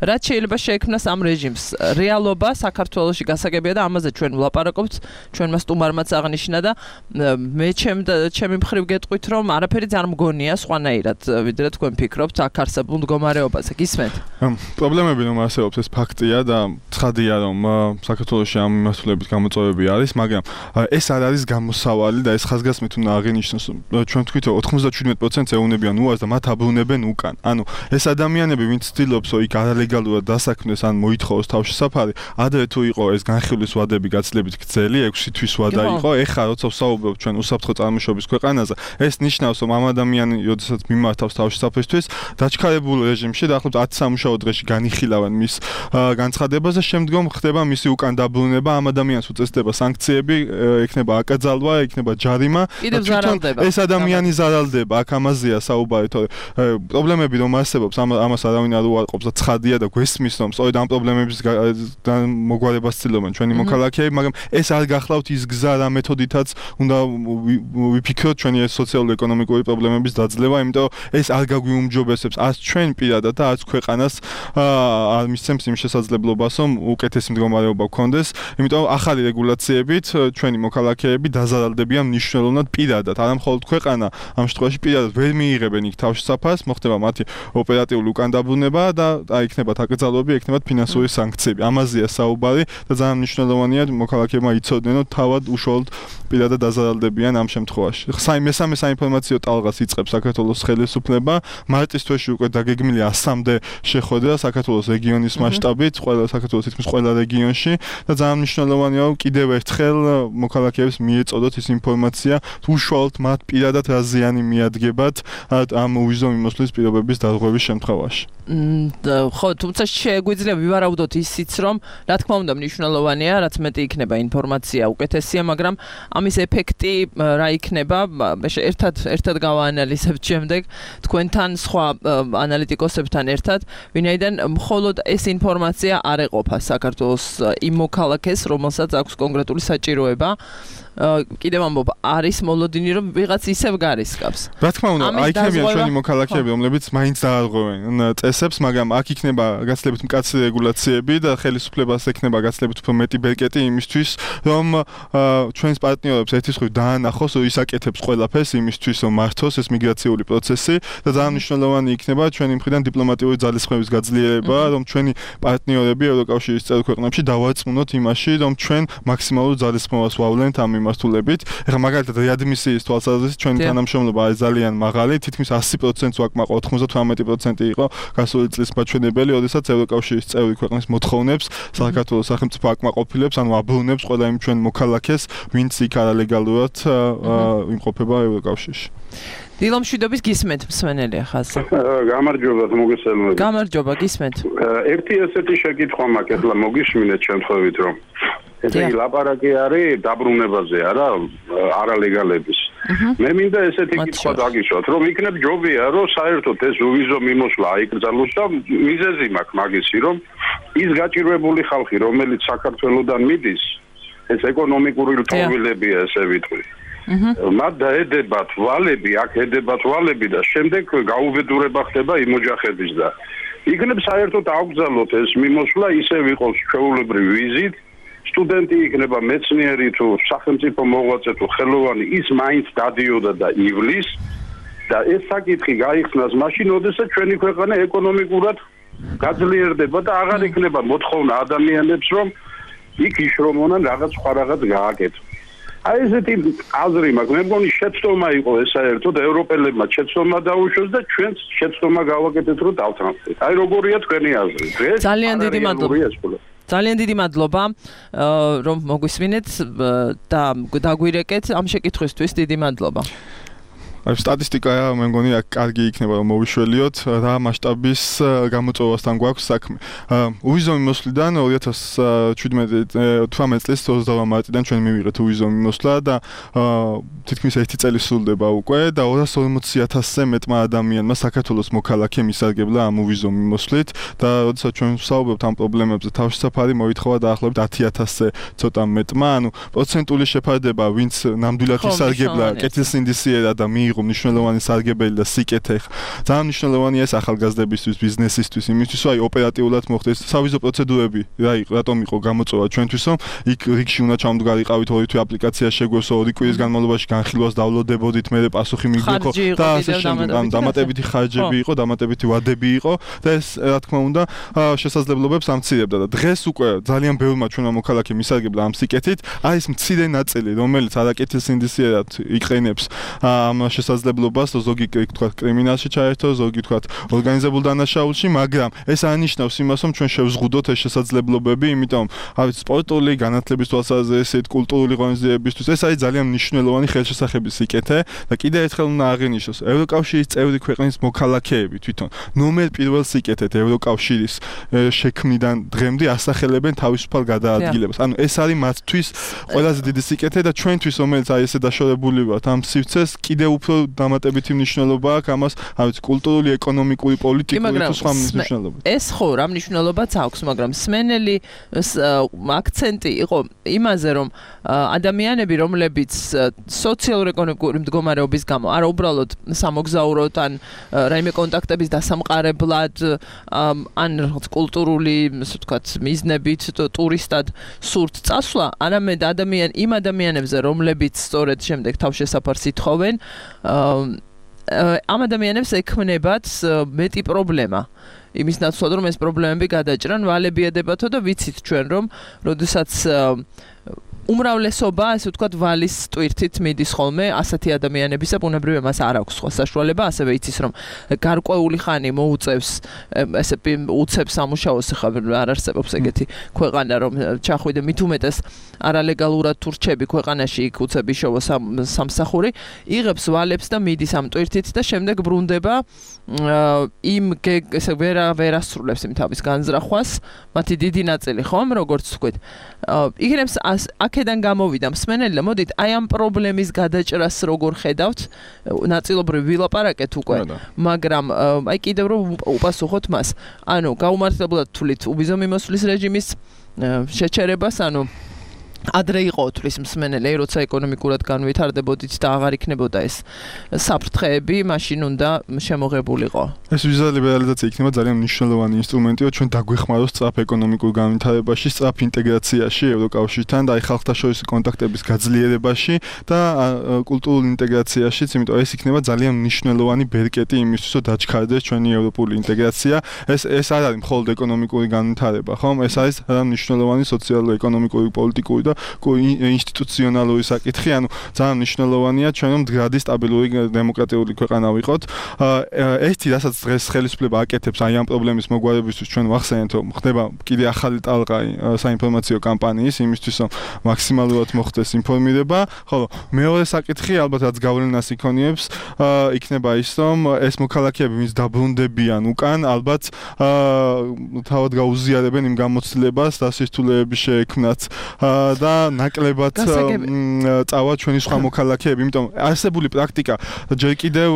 Speaker 2: რაც შეიძლება შეექმნას ამ რეჟიმს რეალობა საქართველოში გასაგებია და ამაზე ჩვენ ვლაპარაკობთ ჩვენმა სტუმარმაც აღნიშნა და მე ჩემი მხრივ გეტყვით რომ არაფერი არ მგონია სხვანაირად ვიდრე თქვენ ფიქრობთ აქ არსებულ მდგომარეობაზე გისმენთ
Speaker 3: პრობლემები რომ არსებობს ეს ფაქტია და ცხადია რომ საქართველოში ამ მიმართულებით გამოწვევები არის მაგრამ ეს არ არის გამოსავალი და ეს ხაზგასმით უნდა აღინიშნოს ჩვენ ვთქვით რომ ოცდაშვიდ პროცენტს ეუნებიან უარს და მათ აბრუნებენ უკან ანუ ეს ადამიანები ვინც ცდილობს რომ იქ არალეგალურად დასაქმნეს ან მოითხოვოს თავშესაფარი ადრე თუ იყო ეს განხილვის ვადები გაცილებით გრძელი ექვსი თვის ვადა იყო ეხლა როცა ვსაუბრობ ჩვენ უსაფრთხო წარმოშობის ქვეყანაზე ეს ნიშნავს, რომ ამ ადამიანი, როდესაც მიმართავს თავშესაფრისთვის, დაჩქარებულ რეჟიმში დაახლოებით ათი სამუშაო დღეში განიხილავენ მის განცხადებას და შემდგომ ხდება მისი უკან დაბრუნება, ამ ადამიანს უწესდება სანქციები, ექნება აკრძალვა, ექნება ჯარიმა. ეს ადამიანი ზარალდება, აქ ამაზეა საუბარი, თორე პრობლემები რომ არსებობს, ამას არავინ არ უარყოფს და ცხადია და გვესმის, რომ სწორედ ამ პრობლემების მოგვარებას ცდილობენ ჩვენი მოქალაქეები, მაგრამ ეს არ გახლავთ ის გზა რა მეთოდითაც უნდა ვიფიქროთ ჩვენი ეს სოციალურ-ეკონომიკური პრობლემების დაძლევა, იმიტომ ეს არ გაგვიუმჯობესებს არც ჩვენ პირადად და არც ქვეყანას არ მისცემს იმ შესაძლებლობას, რომ უკეთესი მდგომარეობა გქონდეს, იმიტომ ახალი რეგულაციებით ჩვენი მოქალაქეები დაზარალდებიან მნიშვნელოვნად პირადად, არა მხოლოდ ქვეყანა, ამ შემთხვევაში პირადად ვერ მიიღებენ იქ თავშესაფარს, მოხდება მათი ოპერატიული უკან დაბრუნება და იქნებათ აკრძალვები, იქნებათ ფინანსური სანქციები. ამაზეა საუბარი და ძალიან მნიშვნელოვანია მოქალაქეებმა იცოდნენ, რომ თავად უშუალოდ პირადად დაზარალდებიან ამ შემთხვევაში. მესამე საინფორმაციო ტალღას იწყებს საქართველოს ხელისუფლება, მარტის თვეში უკვე დაგეგმილია ასამდე შეხვედრა საქართველოს რეგიონის მასშტაბით, ყველა საქართველოს თითქმის ყველა რეგიონში და ძალიან მნიშვნელოვანია, რომ კიდევ ერთხელ მოქალაქეებს მიეწოდოთ ის ინფორმაცია, უშუალოდ მათ პირადად რა ზიანი მიადგებათ ამ უვიზო მიმოსვლის პირობების დარღვევის შემთხვევაში.
Speaker 2: ხო, თუმცა შეგვიძლია ვივარაუდოთ ისიც, რომ რა თქმა უნდა მნიშვნელოვანია, რაც მეტი იქნება ინფორმაცია უკეთესია, მაგრამ ამის ეფექტი რა იქნება, ერთად ერთად გავაანალიზებთ შემდეგ თქვენთან სხვა ანალიტიკოსებთან ერთად, ვინაიდან მხოლოდ ეს ინფორმაცია არ ეყოფა საქართველოს იმ მოქალაქეს, რომელსაც აქვს კონკრეტული საჭიროება. კიდევ ამბობ, არის მოლოდინი, რომ ვიღაც ისევ გარისკავს.
Speaker 3: რა თქმა უნდა, აიქნებიან ჩვენი მოქალაქეები, რომლებიც მაინც დაარღვევენ წესებს, მაგრამ აქ იქნება გაცილებით მკაცრი რეგულაციები და ხელისუფლებას ექნება გაცილებით უფრო მეტი ბერკეტი იმისთვის, რომ ჩვენს პარტნიორებს ერთის მხრივ დაანახოს, რომ ისაკეთებს ყველაფერს იმისთვის, რომ მართოს ეს მიგრაციული პროცესი და ძალიან მნიშვნელოვანი იქნება ჩვენი მხრიდან დიპლომატიური ძალისხმევის გაძლიერება, რომ ჩვენი პარტნიორები ევროკავშირის წევრ ქვეყნებში დავარწმუნოთ იმაში, რომ ჩვენ მაქსიმალურ ძალისხმევას ვავლენთ ამ მიმართულებით. ეხლა მაგალითად რეადმისიის თვალსაზრისით ჩვენი თანამშრომლობა არის ძალიან მაღალი, თითქმის ასი პროცენტს ვაკმაყ ოცდაოთხმეტ პროცენტი იყო გასული წლის მაჩვენებელი, როდესაც ევროკავშირის წევრი ქვეყნის მოთხოვნებს საქართველოს სახელმწიფო აკმაყოფილებს, ანუ აბრუნებს ყველა იმ ჩვენ მოქალაქეს, ვინც იქ არალეგალურად იმყოფება ევროკავშირში.
Speaker 2: დილო მშვიდობის გისმენთ მსმენელი ახალსა.
Speaker 6: გამარჯობა, მოგესალმებით.
Speaker 2: გამარჯობა, გისმენთ.
Speaker 6: ერთი ესეთი შეკითხვა მაქვს, ეხლა მოგისმინეთ შემთხვევით, რომ ესე იგი ლაპარაკი არის დაბრუნებაზე, არა არალეგალების. მე მინდა ესეთი კითხვა დაგიშვათ, რომ იქნებ ჯობია, რომ საერთოდ ეს უვიზო მიმოსვლა აიკრძალოს და მიზეზი მაქვს მაგისი, რომ ის გაჭირვებული ხალხი, რომელიც საქართველოსდან მიდის, ეს ეკონომიკური რთულობებია, ესე ვიტყვი. მათ დაედებათ ვალები, აქ ედებათ ვალები და შემდეგ გაუბედურება ხდება იმ ოჯახების და იქნებ საერთოდ აუკრძალოთ ეს მიმოსვლა, ისე ვიყოს ჩვეულებრივი ვიზით, სტუდენტი იქნება მეცნიერი თუ სახელმწიფო მოღვაწე თუ ხელოვანი, ის მაინც დადიოდა და ივლის და ეს საკითხი გაიხსნას მაშინ, როდესაც ჩვენი ქვეყანა ეკონომიკურად გაძლიერდება და აღარ იქნება მოთხოვნა ადამიანებს, რომ იქ იშრომონან რაღაც სხვა რაღაც გააკეთონ. აი ესეთი აზრი მაქვს, მე მგონი შეცდომა იყო ეს საერთოდ ევროპელებმა შეცდომა დაუშვეს და ჩვენც შეცდომა გავაკეთეთ, რომ დავთანხმდეთ. აი როგორია თქვენი აზრი?
Speaker 2: ძალიან დიდი მადლობა. ძალიან დიდი მადლობა, რომ მოგვისმინეთ და დაგვირეკეთ ამ შეკითხვისთვის. დიდი მადლობა.
Speaker 3: აი სტატისტიკა მე მგონი აქ კარგი იქნება რომ მოვიშველიოთ რა მასშტაბის გამოწვევასთან გვაქვს საქმე. უვიზო მიმოსვლიდან ორი ათას შვიდმეტი წლის ოცდაოთხ მარტიდან ჩვენ მივიღეთ უვიზო მიმოსვლა და თითქმის ერთი წელი სრულდება უკვე და ორას ორმოცი ათასზე მეტმა ადამიანმა საქართველოს მოქალაქე მისარგებლა ამ უვიზო მიმოსვლით და როდესაც ჩვენ ვსაუბრობთ ამ პრობლემებზე თავშესაფარი მოითხოვა დაახლოებით ათი ათასზე ცოტა მეტმა, ანუ პროცენტული შეფარდება, ვინც ნამდვილად ისარგებლა კეთილსინდისიერად და მიიღო მნიშვნელოვანი სარგებელი და სიკეთე. ძალიან მნიშვნელოვანია ეს ახალგაზრდებისთვის, ბიზნესისთვის, იმისთვის, რომ აი ოპერატიულად მოხდეს სავიზო პროცედურები. რა იყო, რატომ იყო გამოწვევა ჩვენთვის, რომ იქ რიგში უნდა ჩამდგარიყავით ორი თვე აპლიკაცია შეგვესო, ორი კვირის განმავლობაში განხილვას დავლოდებოდით, მე პასუხი მიგვიყო და ასე შემდეგ. დამატებითი ხარჯები იყო, დამატებითი ვადები იყო და ეს რა თქმა უნდა შესაძლებლობებს ამცირებდა და დღეს უკვე ძალიან ბევრმა ჩვენმა მოქალაქემ ისარგებლა ამ სიკეთით. აი ეს მცირე ნაწილი, რომელიც არაკეთილსინდისიერად იყენებს ამ შესაძლებლობას, რომ ზოგი თქვა კრიმინალში ჩაერთო, ზოგი თქვა ორგანიზებულ დანაშაულში, მაგრამ ეს ანიშნავს იმას, რომ ჩვენ შევზღუდოთ ეს შესაძლებლობები, იმიტომ ავით სპორტული, განათლების თვალსაზრისით, კულტურული ღონისძიებისთვის ეს არის ძალიან მნიშვნელოვანი ხელშესახების სიკეთე და კიდევ ერთხელ უნდა აღინიშნოს, ევროკავშირის წევრი ქვეყნის მოქალაქეები თვითონ ნომერ პირველ სიკეთეთ ევროკავშირის შექმნიდან დღემდე ასახელებენ თავისუფალ გადაადგილებას. ანუ ეს არის მათთვის ყველაზე დიდი სიკეთე და ჩვენთვის, რომელიც აი ესე დაშორებული ვართ ამ სივრცეს, კიდევ უფრო დამატებითი მნიშვნელობა აქვს ამას, ავით კულტურული, ეკონომიკური, პოლიტიკური თუ სხვა მნიშვნელობა.
Speaker 2: ეს ხო რა მნიშვნელობაც აქვს, მაგრამ სმენელი აქცენტი იყო იმაზე, რომ ადამიანები, რომლებიც სოციალურ-ეკონომიკური მდგომარეობის გამო არა უბრალოდ სამოგზაუროდ ან რაიმე კონტაქტების დასამყარებლად ან რაღაც კულტურული, ასე ვთქვათ, მიზნებით ტურისტად სურთ წასვლა, არამედ ადამიან იმ ადამიანებზე, რომლებიც სწორედ შემდეგ თავშესაფარს ითხოვენ, ამ ადამიანებს ექმნებათ მეტი პრობლემა. იმის ნაცვლად, რომ ეს პრობლემები გადაჭრან, ვალები ედებათო და ვიცით ჩვენ, რომ როდესაც უმრავლესობა, ასე ვთქვათ, ვალის ტვირთით მიდის ხოლმე ასეთი ადამიანებისა, ბუნებრივია მას არ აქვს სხვა საშუალება, ასევე იცის, რომ გარკვეული ხანი მოუწევს, ესე უცებს სამუშაოს, ხა არ არსებობს ეგეთი ქვეყანა, რომ ჩახვიდე მით უმეტეს არალეგალურად თუ რჩები ქვეყანაში, იქ უცები შოვა სამსახური, იღებს ვალებს და მიდის ამ ტვირთით და შემდეგ ბრუნდება იმ ესე ვერა ვერასრულებს იმ თავის განზრახვას, მათი დიდი ნაწილი ხომ, როგორც ვთქვით. იგრებს აქედან გამოვიდა მსმენელი და მოდით აი ამ პრობლემის გადაჭრას როგორ ხედავთ, ნაწილობრივ ვილაპარაკეთ უკვე, მაგრამ აი კიდევ რომ უპასუხოთ მას. ანუ გაუმართლებლად თვლით უბიზო მიმოსვლის რეჟიმის შეჩერებას, ანუ ადრე იყო თulis მსმენელი, როცა ეკონომიკურად განვითარდებოდით და აღარ იქნებოდა ეს საფრთხეები, მაშინ უნდა შემოღებულიყო.
Speaker 3: ეს ვიზა ლიბერალიზაცია იქნება ძალიან მნიშვნელოვანი ინსტრუმენტი, რომ ჩვენ დაგვეხმაროს სწრაფ ეკონომიკურ განვითარებაში, სწრაფ ინტეგრაციაში ევროკავშირთან და აი ხალხთაშორისი კონტაქტების გაძლიერებაში და კულტურულ ინტეგრაციაშიც, იმიტომ ეს იქნება ძალიან მნიშვნელოვანი ბერკეტი იმისთვის, რომ დაჩქარდეს ჩვენი ევროპული ინტეგრაცია. ეს ეს არ არის მხოლოდ ეკონომიკური განვითარება, ხომ? ეს არის მნიშვნელოვანი სოციალურ-ეკონომიკური, პოლიტიკური და ინსტიტუციონალური საკითხი, ანუ ძალიან მნიშვნელოვანია ჩვენ რომ მდგრადი სტაბილური დემოკრატიული ქვეყანა ვიყოთ. ერთი რასაც დღეს ხელისუფლება აკეთებს აი ამ პრობლემის მოგვარებისთვის ჩვენ ვახსენეთ რომ ხდება კიდე ახალი ტალღა საინფორმაციო კამპანიის იმისთვის რომ მაქსიმალურად მოხდეს ინფორმირება, ხოლო მეორე საკითხი ალბათ რაც გავლენას იქონიებს იქნება ის რომ ეს მოქალაქეები ვინც დაბრუნდებიან უკან ალბათ თავად გაუზიარებენ იმ გამოცდილებას და სირთულეების შეექმნათ და ნაკლებად წავა ჩვენი სხვა მოქალაქეები, იმიტომ არსებული პრაქტიკა ჯერ კიდევ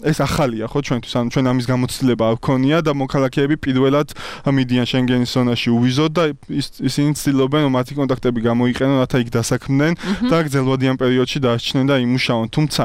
Speaker 3: ეს ახალია ხო ჩვენთვის, ანუ ჩვენ ამის გამოცდილება არ გქონია და მოქალაქეები პირველად მიდიან შენგენის ზონაში უვიზოდ და ისინი ცდილობენ რომ მათი კონტაქტები გამოიყენონ, რათა იქ დასაქმდნენ და გრძელვადიან პერიოდში დაარჩნენ და იმუშაონ. თუმცა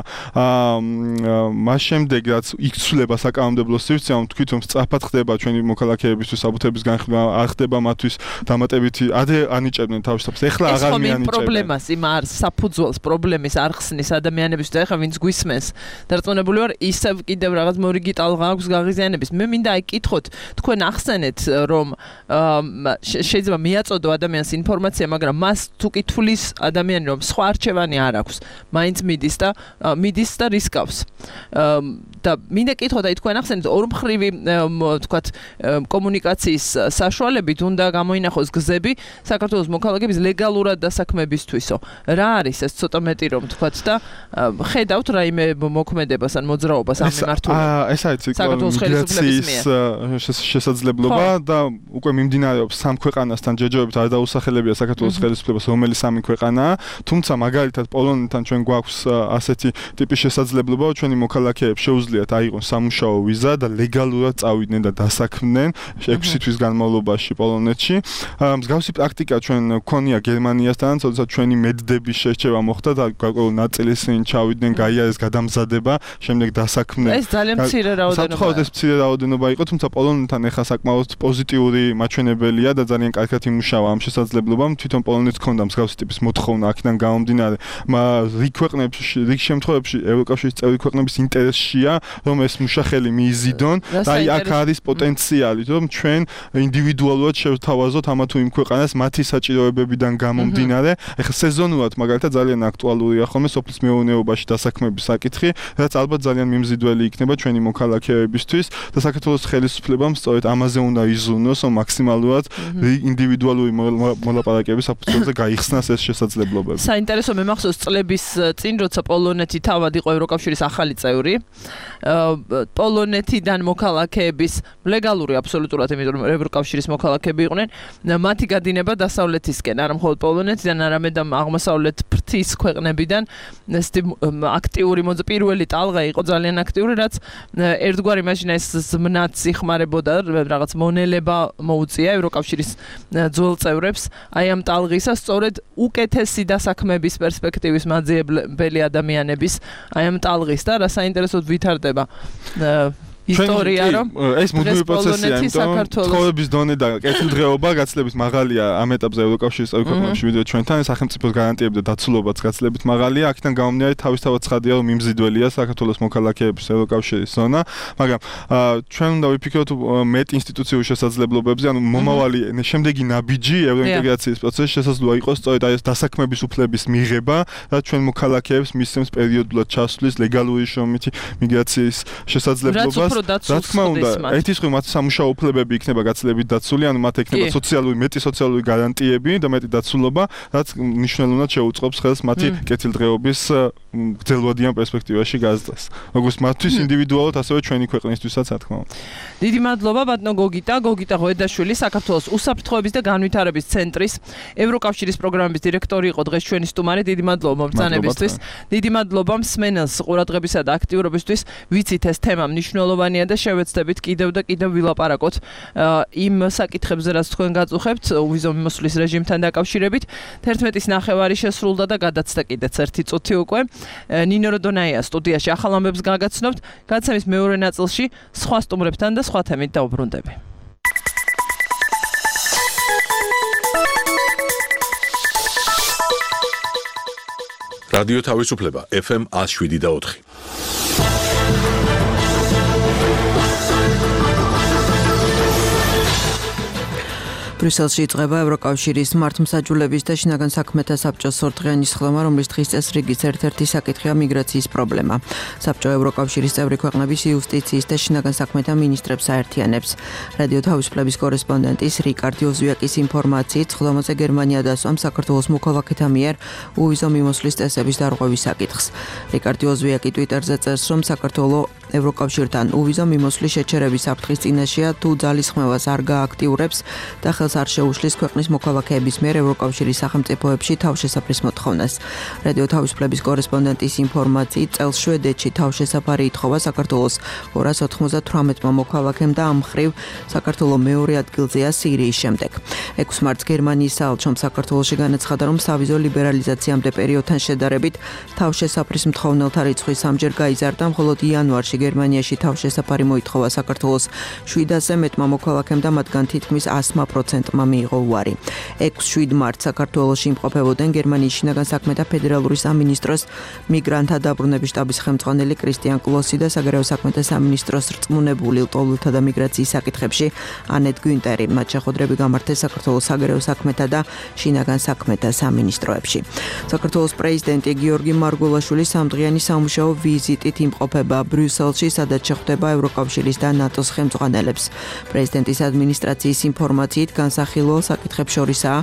Speaker 3: მას შემდეგ რაც იქცვლება საკანონმდებლო სივრცე, რომ თქვით რომ სწრაფად ხდება ჩვენი მოქალაქეებისთვის საბუთების განხილვა, არ ხდება მათთვის დამატებითი ადრე ანიჭებდნენ თავის ეხლა აღარ მიანიჭებენ. ეს
Speaker 2: პრობლემას იმ არ საფუძველს პრობლემის არ ხსნის ადამიანებისთვის და ეხლა ვინც გვისმენს დარწმუნებული ვარ ისევ კიდევ რაღაც მორიგი ტალღა აქვს გაღიზიანების. მე მინდა აი კითხოთ, თქვენ ახსენეთ რომ შეიძლება მიაწოდო ადამიანს ინფორმაცია, მაგრამ მას თუ კითხulis ადამიანი რომ სხვა არჩევანი არ აქვს, მაინც მიდის და მიდის და რისკავს. და მინდა კითხოთ აი თქვენ ახსენეთ ორმხრივი თქვათ კომუნიკაციის საშუალებით უნდა გამოინახოს გზები საქართველოს მოქალაქეების ლეგალურად დასაქმებისთვისო. რა არის ეს ცოტა მეტი რომ თქვათ და ხედავთ რაიმე მოქმედებას ან მოძრაობას ამ მიმართულებით.
Speaker 3: ეს არის მიგრაციის შესაძლებლობა და უკვე მიმდინარეობს სამ ქვეყანასთან ჯერჯერობით არ დაუსახელებია საქართველოს ხელისუფლებას რომელი სამი ქვეყანაა, თუმცა მაგალითად პოლონეთთან ჩვენ გვაქვს ასეთი ტიპის შესაძლებლობა, რომ ჩვენი მოქალაქეებს შეუძლიათ აიღონ სამუშაო ვიზა და ლეგალურად წავიდნენ და დასაქმდნენ ექვსი თვის განმავლობაში პოლონეთში. მსგავსი პრაქტიკა ჩვენ ქონია გერმანიასთან, თორსა ჩვენი მედდების შერჩევა მოხდა და გარკვეული ნაწილი ისინი ჩავიდნენ, გაიარეს გადამზადება, შემდეგ დასაქმდნენ.
Speaker 2: ეს ძალიან მცირე რაოდენობა.
Speaker 3: საერთოდ ეს მცირე რაოდენობა იყო, თუმცა პოლონეთთან ეხა საკმაოდ პოზიტიური მაჩვენებელია და ძალიან კარგად იმუშავა ამ შესაძლებლობამ. თვითონ პოლონეთს ჰქონდა მსგავსი ტიპის მოთხოვნა აქედან გამომდინარე. რიგ ქვეყნებში, რიგ შემთხვევებში ევროკავშირის წევრი ქვეყნების ინტერესშია, რომ ეს მუშახელი მიიზიდონ და აი აქ არის პოტენციალი, რომ ჩვენ ინდივიდუალურად შევთავაზოთ ამა თუ იმ ქვეყანას მათი საჭიროებები კრიზისიდან გამომდინარე, ეხლა სეზონურად მაგალითად ძალიან აქტუალურია ხოლმე სოფლის მეურნეობაში დასაქმების საკითხი, რაც ალბათ ძალიან მიმზიდველი იქნება ჩვენი მოქალაქეებისთვის და საქართველოს ხელისუფლებამ სწორედ ამაზე უნდა იზრუნოს, რომ მაქსიმალურად ინდივიდუალური მოლაპარაკების საფუძველზე გაიხსნას ეს შესაძლებლობები.
Speaker 2: საინტერესო მე მახსოვს წლების წინ, როცა პოლონეთი თავად იყო ევროკავშირის ახალი წევრი, პოლონეთიდან მოქალაქეების ლეგალური აბსოლუტურად, იმიტომ რომ ევროკავშირის მოქალაქეები იყვნენ, მათი გადინება დასავლეთისკენ, არა მხოლოდ პოლონეთიდან, არამედ აღმოსავლეთ ფრთის ქვეყნებიდან, აქტიური მოძ პირველი ტალღა იყო ძალიან აქტიური, რაც ერთგვარი მაშინა ეს ზმნაც იხმარებოდა, რაღაც მონელება მოუწია ევროკავშირის ძველ წევრებს, აი ამ ტალღისა სწორედ უკეთესი დასაქმების პერსპექტივის მაძიებელი ადამიანების აი ამ ტალღის და რა საინტერესოდ ვითარდება ისტორია რომ
Speaker 3: ეს მუდმივი პროცესია, იმიტომ ცხოვრების დონე და კეთილდღეობა გაცილებით მაღალია ამ ეტაპზე ევროკავშირის წევრი ქვეყნებში, ვიდრე ჩვენთან, სახელმწიფოს გარანტიები და დაცულობაც გაცილებით მაღალია, აქედან გამომდინარე თავისთავად ცხადია, რომ მიმზიდველია საქართველოს მოქალაქეების ევროკავშირის ზონა, მაგრამ ჩვენ უნდა ვიფიქროთ მეტ ინსტიტუციურ შესაძლებლობებზე, ანუ მომავალი შემდეგი ნაბიჯი ევროინტეგრაციის პროცესში შესაძლოა იყოს სწორედ აი ეს დასაქმების უფლების მიღება, რაც ჩვენ მოქალაქეებს მისცემს პერიოდულად ჩასვლის ლეგალური შრომითი მიგრაციის შესაძლებლობას.
Speaker 2: რა
Speaker 3: თქმა უნდა, ერთის მხრივ მათ სამუშაო უფლებები იქნება გაცილებით დაცული, ანუ მათ ექნება სოციალური, მეტი სოციალური გარანტიები და მეტი დაცულობა, რაც მნიშვნელოვნად შეუწყობს ხელს მათი კეთილდღეობის გრძელვადიან პერსპექტივაში გაზრდას. როგორც მათთვის ინდივიდუალურად, ასევე ჩვენი ქვეყნისთვისაც, რა თქმა უნდა.
Speaker 2: დიდი მადლობა ბატონო გოგიტა, გოგიტა ღვედაშვილი, საქართველოს უსაფრთხოების და განვითარების ცენტრის ევროკავშირის პროგრამების დირექტორი იყო დღეს ჩვენი სტუმარი. დიდი მადლობა მობრძანებისთვის. დიდი მადლობა მსმენელს ყურადღებისა და აქტიურობისთვის. ვიცით ეს თემა მნიშვნელოვანია და შევეცდებით კიდევ და კიდევ ვილაპარაკოთ იმ საკითხებზე, რაც თქვენ გაწუხებთ უვიზო მიმოსვლის რეჟიმთან დაკავშირებით. თერთმეტის ნახევარი შესრულდა და გადაცდა კიდეც ერთი წუთი უკვე. ნინო როდონაია სტუდიაში ახალ ამბებს გაგაცნობთ. გადაცემის მეორე ნაწილში სხვა სტუმრებთან და სხვა თემით დავუბრუნდები.
Speaker 1: რადიო თავისუფლება ეფ ემ one oh seven და four.
Speaker 7: ბრიუსელში იწყება ევროკავშირის მართლმსაჯულების და შინაგან საქმეთა საბჭოს ორდღიანი სხდომა, რომლის დღის წესრიგის ერთ-ერთი საკითხია მიგრაციის პრობლემა. საბჭო ევროკავშირის წევრი ქვეყნების იუსტიციის და შინაგან საქმეთა მინისტრებს აერთიანებს. რადიო თავისუფლების კორესპონდენტის რიკარდ ოზვიაკის ინფორმაციით, სხდომაზე გერმანია დასვამ საქართველოს მოქალაქეთა მიერ უვიზო მიმოსვლის წესების დარღვევის საკითხს. რიკარდ ოზვიაკი ტვიტერზე წერს, რომ საქართველოს ევროკავშირთან უვიზო მიმოსვლის შეჩერების საფრთხის წინაშეა, თუ ძალისხმევას არ გააქტიურებს და ხელს არ შეუშლის ქვეყნის მოქალაქეების მიერ ევროკავშირის სახელმწიფოებში თავშესაფრის მოთხოვნას. რადიო თავისუფლების კორესპონდენტის ინფორმაციით, წელს შვედეთში თავშესაფარი ითხოვა საქართველოს ორას ოთხმოცდათვრამეტმა მოქალაქემ და ამ მხრივ საქართველოს მეორე ადგილზეა სირიის შემდეგ. ექვსი მარტს გერმანიის საელჩომ საქართველოში განაცხადა, რომ სავიზო ლიბერალიზაციამდე პერიოდთან შედარებით თავშესაფრის მთხოვნელთა რიცხვი სამჯერ გაიზარდა, მხოლოდ იანვარში გერმანიაში თავშესაფარი მოითხოვა საქართველოს შვიდასზე მეტმა მოქალაქემ და მათგან თითქმის one hundred percent მიიღო უარი. ექვსი შვიდ მარტს საქართველოში იმყოფებოდნენ გერმანიის შინაგან საქმეთა ფედერალური სამინისტროს მიგრანტთა დაბრუნების შტაბის ხელმძღვანელი კრისტიან კლოსი და საგარეო საქმეთა სამინისტროს რწმუნებული ლტოლვილთა და მიგრაციის საკითხებში ანეტ გვინტერი. მათ შეხვედრები გამართეს საქართველოს საგარეო საქმეთა და შინაგან საქმეთა სამინისტროებში. საქართველოს პრეზიდენტი გიორგი მარგულაშვილი სამდღიანი სამუშაო ვიზიტით იმყოფება ბრიუსელში, სადაც შეხვდება ევროკავშირის და ნატოს ხელმძღვანელებს. პრეზიდენტის ადმინისტრაციის ინფორმაციით განსახილო საკითხებს შორისაა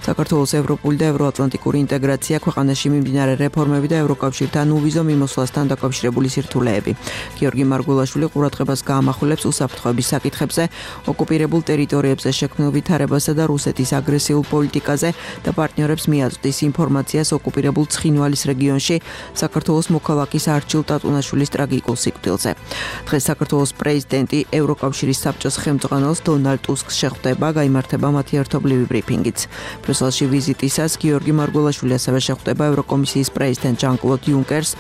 Speaker 7: საქართველოს ევროპული და ევროატლანტიკური ინტეგრაცია, ქვეყანაში მიმდინარე რეფორმები და ევროკავშირთან უვიზო მიმოსვლასთან დაკავშირებული სირთულეები. გიორგი მარგულაშვილი ყურადღებას გაამახვილებს უსაფრთხოების საკითხებზე, ოკუპირებულ ტერიტორიებზე შექმნილ ვითარებასა და რუსეთის აგრესიულ პოლიტიკაზე და პარტნიორებს მიაწვდის ინფორმაციას ოკუპირებულ ცხინვალის რეგიონში საქართველოს მოქალაქის არჩილ ტატუნაშვილის ტრაგიკულ სიკვდილზე. დღეს საქართველოს პრეზიდენტი ევროკავშირის საბჭოს ხელმძღვანელს დონალდ ტუსკს შეხვდება, გაიმართება მათი ერთობლივი ბრიფინგიც. ბრიუსელში ვიზიტისას გიორგი მარგულაშვილი ასევე შეხვდება ევროკომისიის პრეზიდენტ ჟან-კლოდ იუნკერს,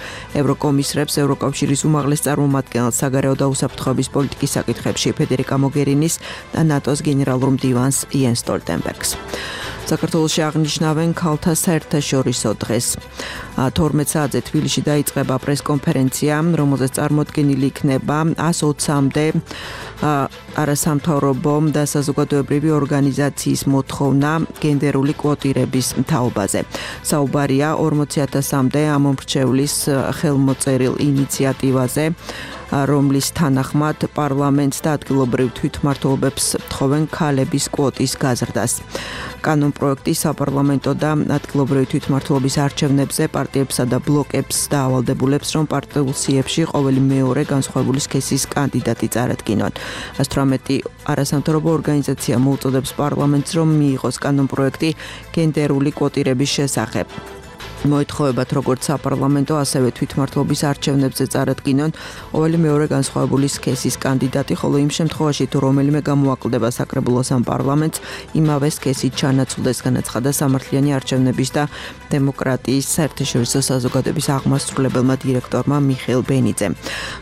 Speaker 7: ევროკომისრებს, ევროკავშირის უმაღლეს წარმომადგენელს საგარეო და უსაფრთხოების პოლიტიკის საკითხებში ფედერიკა მოგერინის და ნატოს გენერალურ მდივანს იენს სტოლტენბერგს. საქართველოში აღნიშნავენ ქალთა საერთაშორისო დღეს. თორმეტ საათზე თბილისში დაიწყება პრესკონფერენცია, რომელზეც წარმოდგენილი იქნება one hundred twenty-მდე არასამთავრობო და საზოგადოებრივი ორგანიზაციის მოთხოვნა გენდერული კვოტირების თაობაზე. საუბარია ორმოცი ათასამდე ამომრჩევლის ხელმოწერილ ინიციატივაზე, რომლის თანახმად პარლამენტს და ადგილობრივ თვითმმართველობებს თხოვენ ქალების კვოტის გაზრდას. კანონპროექტი საპარლამენტო და ადგილობრივი თვითმმართველობის არჩევნებზე პარტიებსა და ბლოკებს დაავალდებულებს, რომ პარტიულ სიებში ყოველი მეორე განსხვავებული სქესის კანდიდატი წარადგინონ. ასთვრამეტი არასამთავრობო ორგანიზაცია მოუწოდებს პარლამენტს, რომ მიიღოს კანონპროექტი გენდერული კვოტირების შესახებ. მოითხოვებათ როგორც საპარლამენტო, ასევე თვითმმართველობის არჩევნებზე წარადგინონ ყოველი მეორე განსხვავებული სქესის კანდიდატი, ხოლო იმ შემთხვევაში თუ რომელიმე გამოაკლდება საკრებულოს ან პარლამენტს, იმავე სქესით ჩანაცვლდეს, განაცხადა სამართლიანი არჩევნების და დემოკრატიის საერთაშორისო საზოგადოების აღმასრულებელმა დირექტორმა მიხეილ ბენიძემ.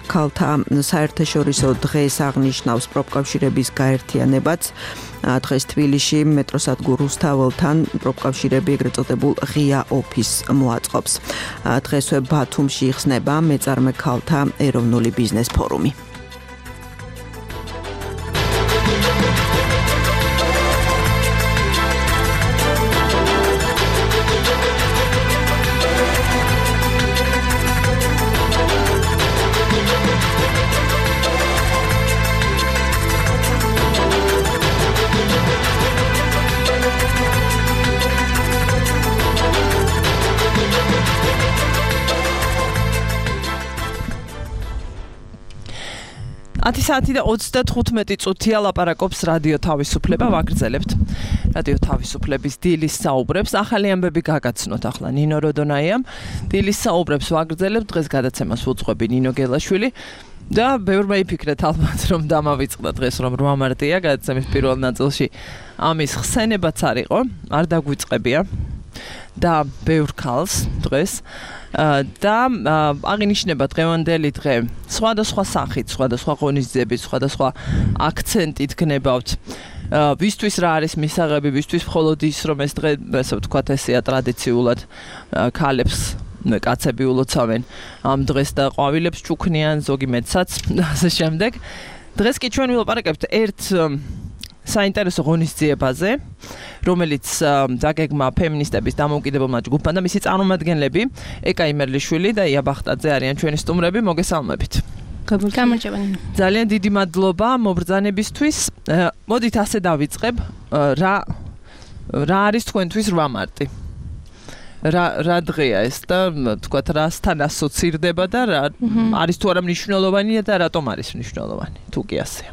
Speaker 7: ქალთა საერთაშორისო დღეს აღნიშნავს პროფკავშირების გაერთიანებაც. დღეს თბილისში მეტროსადგურ რუსთაველთან პროფკავშირები ეგრეთ წოდებულ ღია ოფისს მოაწყობს. დღესვე ბათუმში იხსნება მეწარმე ქალთა ეროვნული ბიზნეს ფორუმი.
Speaker 2: ათი საათი და ოცდათხუთმეტი წუთია ლაპარაკობს რადიო თავისუფლება, ვაგრძელებთ რადიო თავისუფლების დილის საუბრებს. ახალი ამბები გაგაცნოთ ახლა ნინო როდონაიამ. დილის საუბრებს ვაგრძელებთ, დღეს გადაცემას უძღვები ნინო გელაშვილი და ბევრმა იფიქრეთ ალბათ, რომ დამავიწყდა დღეს, რომ რვა მარტია გადაცემის პირველ ნაწილში ამის ხსენებაც არ იყო, არ დაგვიწყებია და ბევრ ქალს დღეს და აღინიშნება დღევანდელი დღე სხვადასხვა სახით, სხვადასხვა ღონისძიებით, სხვადასხვა აქცენტით გნებავთ. ვისთვის რა არის მისაღები, ვისთვის მხოლოდ ის, რომ ეს დღე, ასე ვთქვათ, ესეა ტრადიციულად ქალებს კაცები ულოცავენ ამ დღეს და ყვავილებს ჩუქნიან, ზოგი მეცაც და ასე შემდეგ. დღეს კი ჩვენ ვილაპარაკებთ ერთ საინტერესო ღონისძიებაზე, რომელიც დაგეგმა ფემინისტების დამოუკიდებელმა ჯგუფმა და მისი წარმომადგენლები ეკა იმერლიშვილი და ია ბახტაძე არიან ჩვენი სტუმრები. მოგესალმებით.
Speaker 8: გამარჯობა.
Speaker 2: ძალიან დიდი მადლობა მობრძანებისთვის. მოდით ასე დავიწყებ. რა რა არის თქვენთვის რვა მარტი? რა რა დღეა ეს და თქვათ რასთან ასოცირდება და რა არის თუ არა მნიშვნელოვანი და რატომ არის მნიშვნელოვანი? თუ კი ასეა.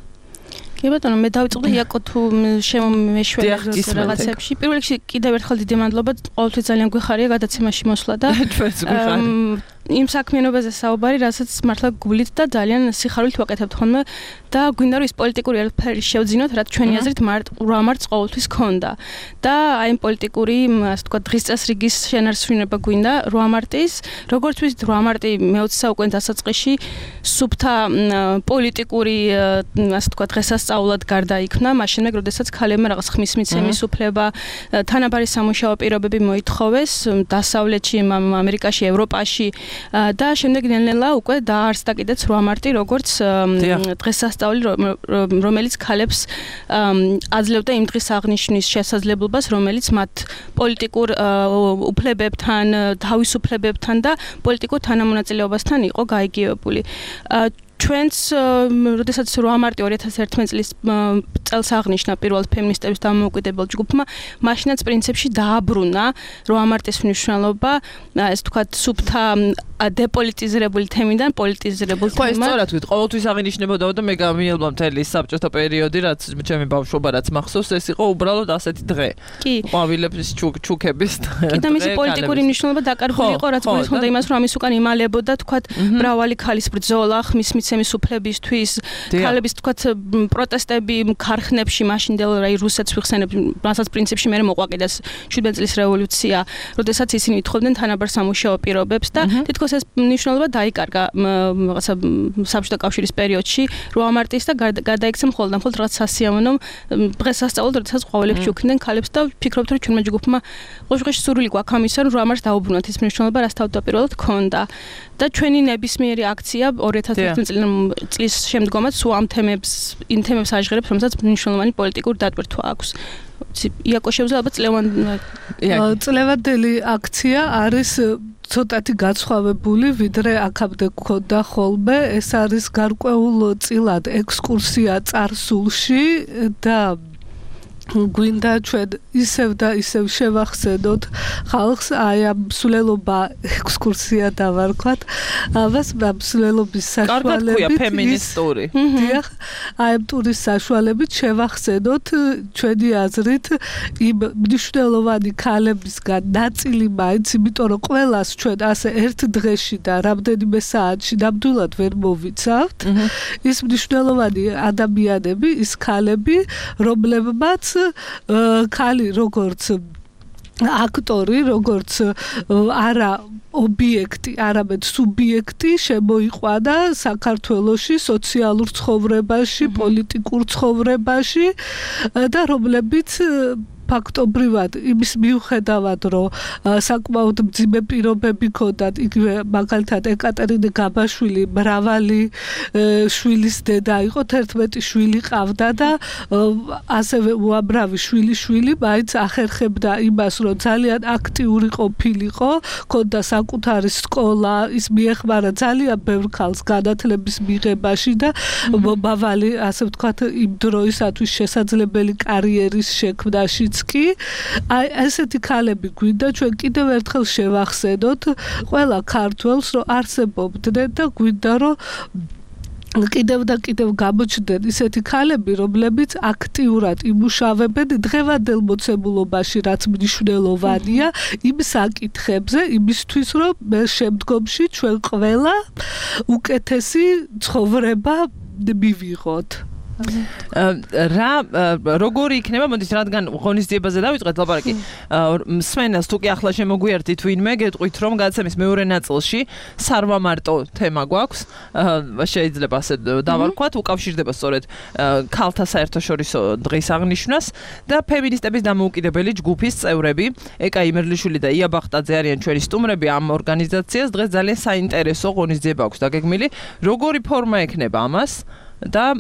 Speaker 8: კი ბატონო, მე დავიწყდი იაკო თუ შემომეშვერე რაღაცებში. პირველ რიგში კიდევ ერთხელ დიდი მადლობა, ყოველთვის ძალიან გვიხარია გადაცემაში მოსვლა და იმ საქმიანობაზე საუბარი, რასაც მართლა გულით და ძალიან სიხარულით ვაკეთებთ ხოლმე და გვინდა რომ ის პოლიტიკური ელფერი შევძინოთ, რაც ჩვენი აზრით რვა მარტს ყოველთვის ქონდა. და აი იმ პოლიტიკური, ასე ვთქვათ, დღის წესრიგის შენარჩუნება გვინდა რვა მარტის. როგორც ვიცით, რვა მარტი მეოცე საუკუნის დასაწყისში სუფთა პოლიტიკური, ასე ვთქვათ, დღესასწაულად გარდაიქმნა, მაშინვე, როდესაც ქალებმა რაღაც ხმის მიცემის უფლება, თანაბარი სამუშაო პირობები მოითხოვეს დასავლეთში, ამერიკაში, ევროპაში და შემდეგ ნელ-ნელა უკვე დაარსდა კიდეც რვა მარტი, როგორც დღესასწაული, რომელიც ქალებს აძლევდა იმ დღის აღნიშვნის შესაძლებლობას, რომელიც მათ პოლიტიკურ უფლებებთან, თავისუფლებებთან და პოლიტიკურ თანამონაწილეობასთან იყო გაიგივებული. ჩვენც, როდესაც რვა მარტი ორი ათას ერთმეტ წლის წელს აღნიშნა პირველ ფემინისტების დამოუკიდებელ ჯგუფმა, მაშინაც პრინციპში დააბრუნა რვა მარტის მნიშვნელობა, ეს ვთქვათ, სუფთა დეპოლიტიზირებული თემიდან პოლიტიზირებულ თემად.
Speaker 2: ხო, ეს სწორად ვთქვით, ყოველთვის აღინიშნებოდა და მე გამიელვა მთელი საბჭოთა პერიოდი, რაც ჩემი ბავშვობა რაც მახსოვს, ეს იყო უბრალოდ ასეთი დღე.
Speaker 8: კი.
Speaker 2: ყვავილების ჩუქების დღე.
Speaker 8: კი და მისი პოლიტიკური მნიშვნელობა დაკარგული იყო, რაც გულისხმობდა იმას, რომ ამის უკან იმალებოდა, თქვათ, მრავალი ქალის ბრძოლა, ხმის მიცემის უფლებისთვის, ქალების, თქვათ, პროტესტები ქარხნებში, მაშინდელ რაი რუსეთს ვიხსენებ, რასაც პრინციპში მე მოყვაკიდას შვიდმეტ წლის რევოლუცია, როდესაც ისინი ითხოვდნენ თანაბარ სამუშაო პირობებს და თითქოს თითქოს ეს მნიშვნელობა დაიკარგა რაღაცა საბჭოთა კავშირის პერიოდში რვა მარტის და გადაიქცა მხოლოდ და მხოლოდ რაღაც სასიამოვნო დღეს სასწაულად როდესაც ყვავილებში უქნდნენ ქალებს და ვფიქრობთ რომ ჩვენმა ჯგუფმა ყოშყეში სურვილი გვაქვს ამისა რომ რვა მარტს დაუბრუნოთ ის მნიშვნელობა რაც თავდაპირველად ჰქონდა და ჩვენი ნებისმიერი აქცია ორი ათას ათი წლის შემდგომაც სულ ამ თემებს იმ თემებს აჟღერებს რომელსაც მნიშვნელოვანი პოლიტიკური დატვირთვა აქვს იაკო შეუძლია ალბათ წლევან
Speaker 9: წლევანდელი აქცია არის ცოტათი გაცხოვებული ვიდრე აქამდე გქონდა ხოლმე ეს არის გარკვეულ წილად ექსკურსია წარსულში და გვინდა ჩვენ ისევ და ისევ შევახსენოთ ხალხს აი ამ მსვლელობა ექსკურსია დავარქვათ ამას მსვლელობის საშუალებით
Speaker 2: კარგად ქვია ფემინისტური
Speaker 9: დიახ აი ამ ტურის საშუალებით შევახსენოთ ჩვენი აზრით იმ მნიშვნელოვანი ქალებისგან ნაწილი მაინც იმიტომ რომ ყველას ჩვენ ასე ერთ დღეში და რამდენიმე საათში ნამდვილად ვერ მოვიცავთ ის მნიშვნელოვანი ადამიანები ის ქალები რომლებმაც ქალი როგორც აქტორი როგორც არა ობიექტი, არამედ სუბიექტი შემოიყვანა საქართველოში სოციალურ ცხოვრებაში, პოლიტიკურ ცხოვრებაში და რომლებიც ფაქტობრივად იმის მიუხედავად რომ საკმაოდ მძიმე პირობები ჰქონდათ იგივე მაგალითად ეკატერინე გაბაშვილი მრავალი შვილის დედა იყო თერთმეტი შვილი ყავდა და ასევე უამრავი შვილი შვილი მაინც ახერხებდა იმას რომ ძალიან აქტიური ყოფილიყო ჰქონდა საკუთარი სკოლა ის მიეხმარა ძალიან ბევრ ქალს განათლების მიღებაში და მომავალი ასე ვთქვათ იმ დროისათვის შესაძლებელი კარიერის შექმნაშიც კი აი ესეთი ქალები გვინდა ჩვენ კიდევ ერთხელ შევახსენოთ ყველა ქართველს რომ არსებობდნენ და გვინდა რომ კიდევ და კიდევ გამოჩნდნენ ისეთი ქალები რომლებიც აქტიურად იმუშავებენ დღევანდელ მოცემულობაში რაც მნიშვნელოვანია იმ საკითხებზე იმისთვის რომ შემდგომში ჩვენ ყველა უკეთესი ცხოვრება მივიღოთ
Speaker 2: რა როგორი იქნება მოდის რადგან ღონისძიებაზე დავიწყეთ ლაპარაკი მსმენელს თუ კი ახლა შემოგვიერთით ვინმე გეტყვით რომ გადაცემის მეორე ნაწილში სარვა მარტო თემა გვაქვს შეიძლება ასე დავარქვათ უკავშირდება სწორედ ქალთა საერთაშორისო დღის აღნიშვნას და ფემინისტების დამოუკიდებელი ჯგუფის წევრები ეკა იმერლიშვილი და ია ბახტაძე არიან ჩვენი სტუმრები ამ ორგანიზაციას დღეს ძალიან საინტერესო ღონისძიება აქვს დაგეგმილი როგორი ფორმა ექნება ამას და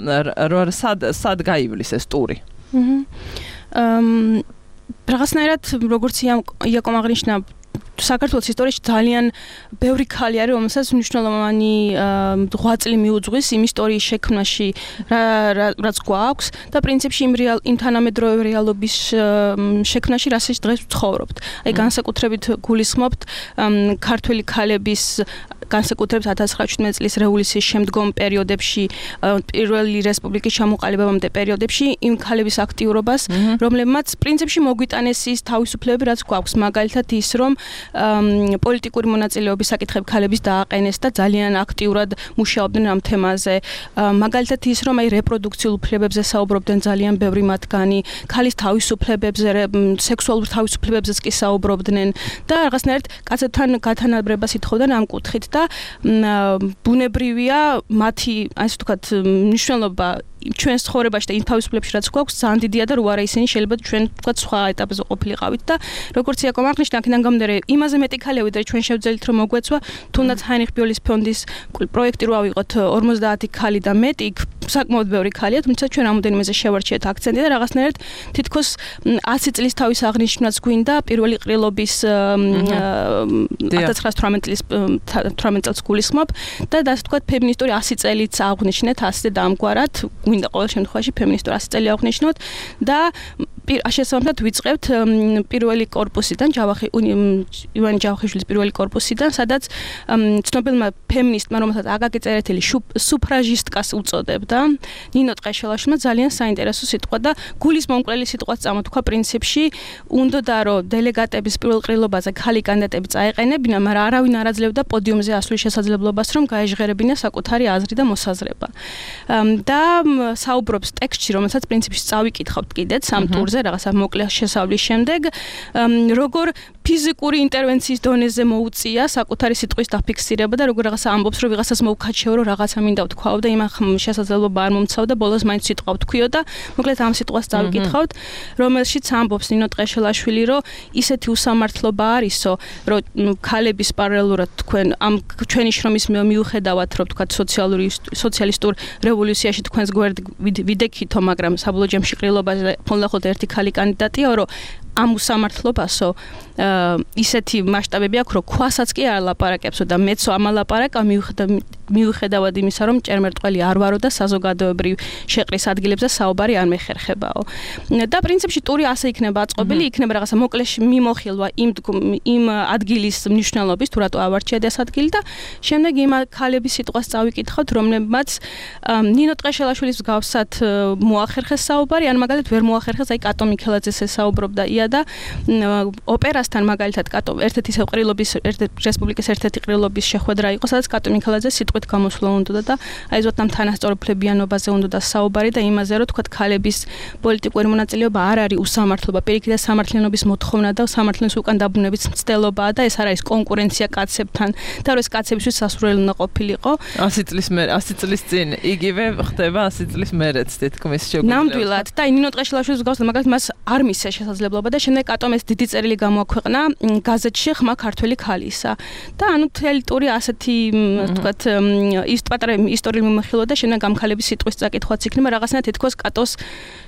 Speaker 2: სად სად გაივლის ეს ტური.
Speaker 8: აჰა. რაღაცნაირად როგორც იაკომ აღნიშნა საქართველოს ისტორიაში ძალიან ბევრი ქალი არის, რომელსაც მნიშვნელოვანი ღვაწლი მიუძღვის იმ ისტორიის შექმნაში, რაც გვაქვს და პრინციპში იმ რეალ იმ თანამედროვე რეალობის შექმნაში, რასაც დღეს ვცხოვრობთ. აი განსაკუთრებით გულისხმობთ ქართველი ქალების განსაკუთრებით ათას ცხრაასი წლის რევოლუციის შემდგომ პერიოდებში, პირველი რესპუბლიკის ჩამოყალიბებამდე პერიოდებში იმ ქალების აქტიურობას, რომლებმაც პრინციპში მოგვიტანეს ის თავისუფლებები, რაც გვაქვს, მაგალითად ის, რომ პოლიტიკური მონაწილეობის საკითხები ქალების დააყენეს და ძალიან აქტიურად მუშაობდნენ ამ თემაზე. მაგალითად ის, რომ აი რეპროდუქციულ უფლებებზე საუბრობდნენ ძალიან ბევრი მათგანი, ქალის თავისუფლებებზე, სექსუალურ თავისუფლებებზეც კი საუბრობდნენ და რაღაცნაირად კაცებთან გათანაბრებას ითხოვდნენ ამ კუთხით და ბუნებრივია მათი ასე ვთქვათ მნიშვნელობა ჩვენს ცხოვრებაში და იმ თავისუფლებებში რაც გვაქვს ძალიან დიდია და რო არა ისინი შეიძლება ჩვენ ვთქვათ სხვა ეტაპზე ყოფილიყავით და როგორც იაკომ აღნიშნა აქედან გამომდინარე იმაზე მეტი ქალია ვიდრე ჩვენ შევძელით რომ მოგვეცვა თუნდაც ჰაინრიხ ბიოლის ფონდის პროექტი რო ავიღოთ ორმოცდაათი ქალი და მეტი საკმაოდ ბევრი ქალია თუმცა ჩვენ რამოდენიმეზე შევარჩიეთ აქცენტი და რაღაცნაირად თითქოს ათი წლის თავის აღნიშვნაც გვინდა პირველი ყრილობის ათას ცხრაასი თვრამეტი წლის თვრამეტი წელს გულისხმობ და ასე ვთქვათ ფემინისტური ასი წელიც აღნიშნეთ ასე და ამგვარად გვინდა ყოველ შემთხვევაში ფემინისტური ასი წელი აღნიშნოთ და შესაბამისად ვიწყებთ პირველი კორპუსიდან ჯავახი ივანე ჯავახიშვილის პირველი კორპუსიდან სადაც ცნობილმა ფემინისტმა რომელსაც აკაკი წერეთელი სუფრაჟისტკას უწოდებდა ნინო ტყეშელაშვილმა ძალიან საინტერესო სიტყვა და გულის მომკვლელი სიტყვაც წამოთქვა პრინციპში უნდოდა რომ დელეგატების პირველ ყრილობაზე ქალი კანდიდატები წაეყენებინა მაგრამ არავინ არ აძლევდა პოდიუმზე ასვლის შესაძლებლობას რომ გაეჟღერებინა საკუთარი აზრი და მოსაზრება და საუბრობს ტექსტში რომელსაც პრინციპში წავიკითხავთ კიდეც ამ ტურზე რაღაცა მოკლე შესავლის შემდეგ როგორ ფიზიკური ინტერვენციის დონეზე მოუწია საკუთარი სიტყვის დაფიქსირება და როგორ რაღაცა ამბობს, რომ ვიღაცას მოუქაჩეო, რომ რაღაცა მინდა ვთქვაო და იმან შესაძლებლობა არ მომცავ და ბოლოს მაინც სიტყვა ვთქვიო და მოკლედ ამ სიტყვას წავიკითხავთ, რომელშიც ამბობს ნინო ტყეშელაშვილი, რომ ისეთი უსამართლობა არისო, რომ ქალების პარალელურად თქვენ ამ ჩვენი შრომის მიუხედავად, რომ თქვა სოციალური სოციალისტურ რევოლუციაში თქვენს გვერდ ვიდექითო, მაგრამ საბოლოო ჯამში ყრილობაზე ფონლახოთ ერთი ქალი კანდიდატია, რომ ამ უსამართლობასო ისეთი მასშტაბები აქვს, რომ ქვასაც კი არ ლაპარაკებსო და მეცო ამალაპარაკა მიუხედავად იმისა, რომ ჭერმერტყველი არ ვარო და საზოგადოებრივ შეყრის ადგილებზე საუბარი არ მეხერხებაო. და პრინციპში ტური ასე იქნება აწყობილი, იქნება რაღაცა მოკლეში მიმოხილვა იმ იმ ადგილის მნიშვნელობის, თუ რატო ავარჩიეთ ეს ადგილი და შემდეგ იმ ქალების სიტყვას წავიკითხავთ, რომლებმაც ნინო ტყეშელაშვილის მსგავსად მოახერხეს საუბარი, ან მაგალითად ვერ მოახერხეს, აი კატო მიქელაძეს ესაუბრობდა ია და ოპერასთან მაგალითად კატო ერთ-ერთი ყრილობის რესპუბლიკის ერთ-ერთი ყრილობის შეხვედრა იყო, სადაც კატო მიქელაძე სიტყვით გამოსვლა უნდა და აი ზოთამ თანასწორუფლებიანობაზე უნდა საუბარი და იმაზე, რომ თქვა ქალების პოლიტიკური მონაწილეობა არ არის უსამართლობა, პირიქით და სამართლიანობის მოთხოვნა და სამართლიანობის უკან დაბრუნების მცდელობაა და ეს არ არის კონკურენცია კაცებთან და რომ ეს კაცებისთვის სასურველი უნდა ყოფილიყო.
Speaker 2: ასი წლის მერე, ასი წლის წინ იგივე ხდება ასი წლის მერეც თითქმის შეგვიძლია.
Speaker 8: ნამდვილად და ნინო ტყეშელაშვილის მსგავსად მაგალითად მას არ მისცეს შესაძლებლობა და შემდეგ კატომ ეს დიდი წერილი გამოაქვეყნა გაზეთში ხმა ქართველი ქალისა და ანუ თელი ტური ასეთი თქვათ ის პატარა ისტორიული მიმოხილვა და შემდეგ ამ ქალების სიტყვის წაკითხვაც იქნება რაღაცნაირად თითქოს კატოს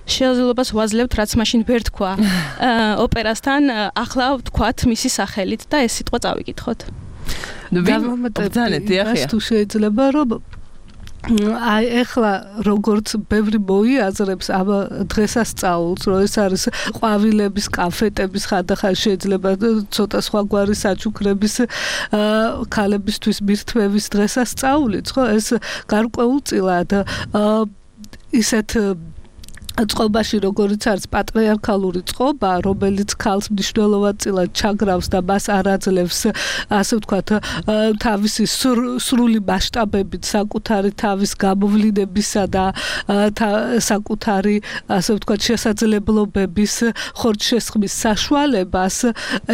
Speaker 8: შესაძლებლობას ვაძლევთ, რაც მაშინ ვერ თქვა ოპერასთან, ახლა ვთქვათ მისი სახელით და ეს სიტყვა წავიკითხოთ.
Speaker 9: დავამატებ ის თუ შეიძლება რომ აი ახლა როგორც ბევრი მოიაზრებს ამ დღესასწაულს, რომ ეს არის ყვავილების, კაფეტების ხანდახან შეიძლება ცოტა სხვაგვარი საჩუქრების ქალებისთვის მირთმევის დღესასწაულიც, ხო? ეს გარკვეულწილად ისეთ წყობაში როგორიც არის პატრიარქალური წყობა, რომელიც ქალს მნიშვნელოვანწილად ჩაგრავს და მას არ აძლევს, ასე ვთქვათ, თავისი სრული მასშტაბებით საკუთარი თავის გამოვლინებისა და საკუთარი, ასე ვთქვათ, შესაძლებლობების ხორცშესხმის საშუალებას,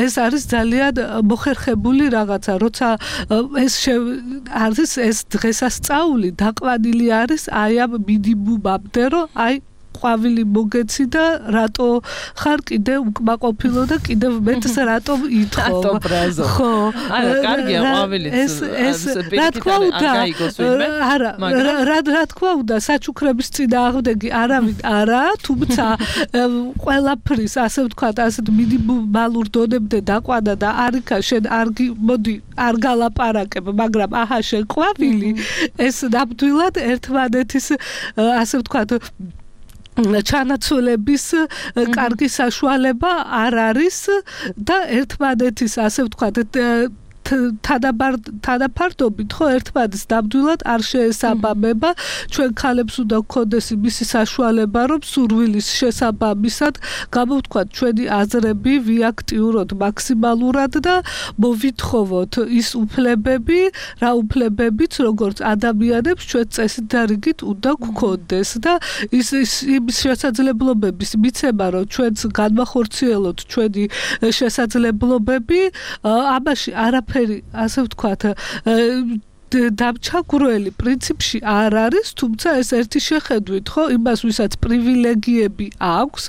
Speaker 9: ეს არის ძალიან მოხერხებული რაღაცა, როცა ეს არის ეს დღესასწაული დაყვანილი არის აი ამ მინიმუმამდე, რომ აი ყვავილი მოგეცი და რატო ხარ კიდე უკმაყოფილო და კიდევ მეტს რატო ითხოვ?
Speaker 2: ხო. არა, კარგია ყვავილიც.
Speaker 9: ეს ეს რა თქვა უნდა? არა, რა რა თქვა უნდა? საჩუქრების წინააღმდეგი არავინ არა, თუმცა ყველაფრის, ასე ვთქვათ, ასეთ მინიმალურ დონემდე დაყვანა და არიქა შენ არ მოდი არ გალაპარაკებ, მაგრამ აჰა შენ ყვავილი, ეს ნამდვილად ერთმანეთის, ასე ვთქვათ, ჩანაცვლების კარგი საშუალება არ არის და ერთმანეთის, ასე ვთქვათ, თანაფარდობით ხო ერთმანეთს ნამდვილად არ შეესაბამება, ჩვენ ქალებს უნდა გქონდეს იმისი საშუალება, რომ სურვილის შესაბამისად გამოვთქვათ ჩვენი აზრები ვიაქტიუროთ მაქსიმალურად და მოვითხოვოთ ის უფლებები, რა უფლებებიც როგორც ადამიანებს ჩვენ წესით და რიგით უნდა გქონდეს და ის იმის შესაძლებლობების მიცემა, რომ ჩვენს განმახორციელოთ ჩვენი შესაძლებლობები, ამაში არაფერი ასე ვთქვათ დამჩაგვრელი პრინციპში არ არის, თუმცა ეს ერთი შეხედვით, ხო, იმას ვისაც პრივილეგიები აქვს,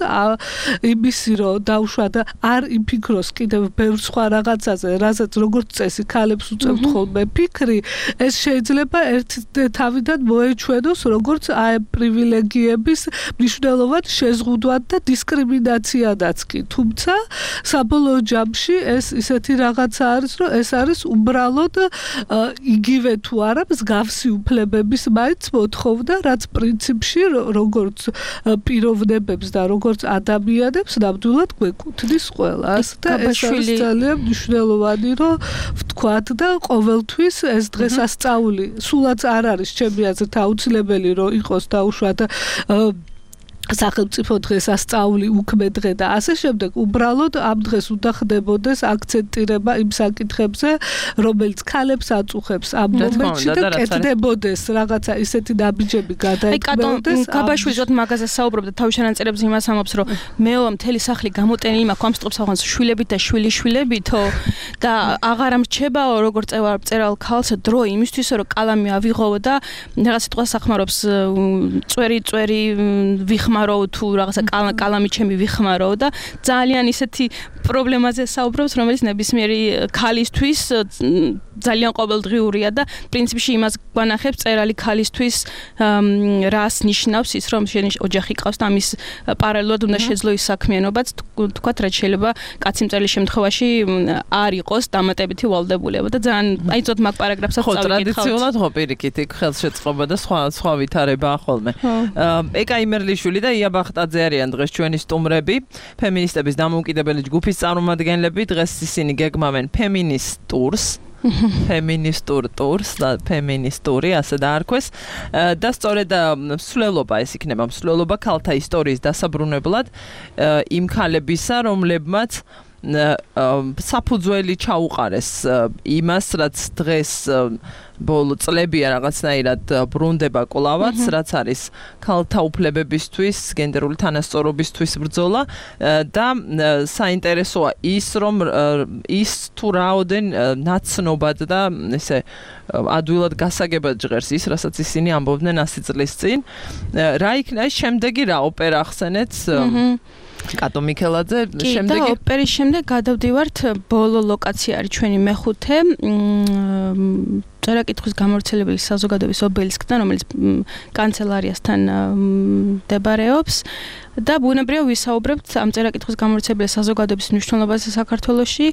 Speaker 9: იმისი რომ დაუშვათ არ იფიქროს კიდევ ბევრ სხვა რაღაცაზე, რასაც როგორც წესი ქალებს უწევთ ხოლმე ფიქრი, ეს შეიძლება ერთ თავიდან მოეჩვენოს როგორც აი პრივილეგიების მნიშვნელოვან შეზღუდვად და დისკრიმინაციადაც კი, თუმცა საბოლოო ჯამში ეს ისეთი რაღაცა არის, რომ ეს არის უბრალოდ იგივე თუ არა მსგავსი უფლებების მაინც მოთხოვნა, რაც პრინციპში როგორც პიროვნებებს და როგორც ადამიანებს ნამდვილად გვეკუთვნის ყველას და ეს არის ძალიან მნიშვნელოვანი, რომ ვთქვათ და ყოველთვის ეს დღესასწაული სულაც არ არის ჩემი აზრით აუცილებელი, რომ იყოს დაუშვათ სახელმწიფო დღეს ასწავლი უქმე დღე და ასე შემდეგ უბრალოდ ამ დღეს უნდა ხდებოდეს აქცენტირება იმ საკითხებზე რომელიც ქალებს აწუხებს ამ მომენტში და კეთდებოდეს რაღაცა ისეთი ნაბიჯები გადაიქმნას.
Speaker 8: აი გაბაშვილიძე მაგაზე საუბრობდა თავის ჩანაწერებზე იმას ამბობს რომ მეოვა მთელი სახლი გამოტენილი მაქვს ამ სტროფს აღანს შვილებით და შვილიშვილებითო და აღარ ამრჩებაო როგორ წერალ ქალს დრო იმისთვის რომ კალამი ავიღო და რაღაც სიტყვას ახმარობს წვერი წვერი ვიხმარო თუ რაღაცა კალამი ჩემი ვიხმარო და ძალიან ისეთი პრობლემაზე საუბრობს რომელიც ნებისმიერი ქალისთვის ძალიან ყოველდღიურია და პრინციპში იმას გვანახებს წერალი ქალისთვის რას ნიშნავს ის რომ შენი ოჯახი ყავს და ამის პარალელურად უნდა შეძლო ის საქმიანობაც თქვათ რაც შეიძლება კაცი მწერლის შემთხვევაში არ იყოს დამატებითი ვალდებულება და ძალიან აი ზოგ მაგ პარაგრაფსაც
Speaker 2: ხო ტრადიციულად ხო პირიქით იქ ხელშეწყობა და სხვა სხვა ვითარებაა ხოლმე ეკა იმერლიშვილი და ია ბახტაძე არიან დღეს ჩვენი სტუმრები ფემინისტების დამოუკიდებელი ჯგუფის წარმომადგენლები დღეს ისინი გეგმავენ ფემინისტურს ფემინისტურ ტურს და ფემინისტური ასე დაარქვეს და სწორედ მსვლელობა ეს იქნება მსვლელობა ქალთა ისტორიის დასაბრუნებლად იმ ქალებისა რომლებმაც საფუძველი ჩაუყარეს იმას რაც დღეს ბოლო წლებია რაღაცნაირად ბრუნდება კვლავაც რაც არის ქალთა უფლებებისთვის გენდერული თანასწორობისთვის ბრძოლა და საინტერესოა ის რომ ის თუ რაოდენ ნაცნობად და ესე ადვილად გასაგებად ჟღერს ის რასაც ისინი ამბობდნენ ასი წლის წინ რა იქნება შემდეგი რა ოპერა ახსენეთ კატო მიქელაძე
Speaker 8: შემდეგი და ოპერის შემდეგ გადავდივართ ბოლო ლოკაცია არის ჩვენი მეხუთე წერაკითხვის გამავრცელებელი საზოგადოების ობელისკთან რომელიც კანცელარიასთან მდებარეობს და ბუნებრივად ვისაუბრებთ ამ წერაკითხვის გამავრცელებელი საზოგადოების მნიშვნელობაზე საქართველოში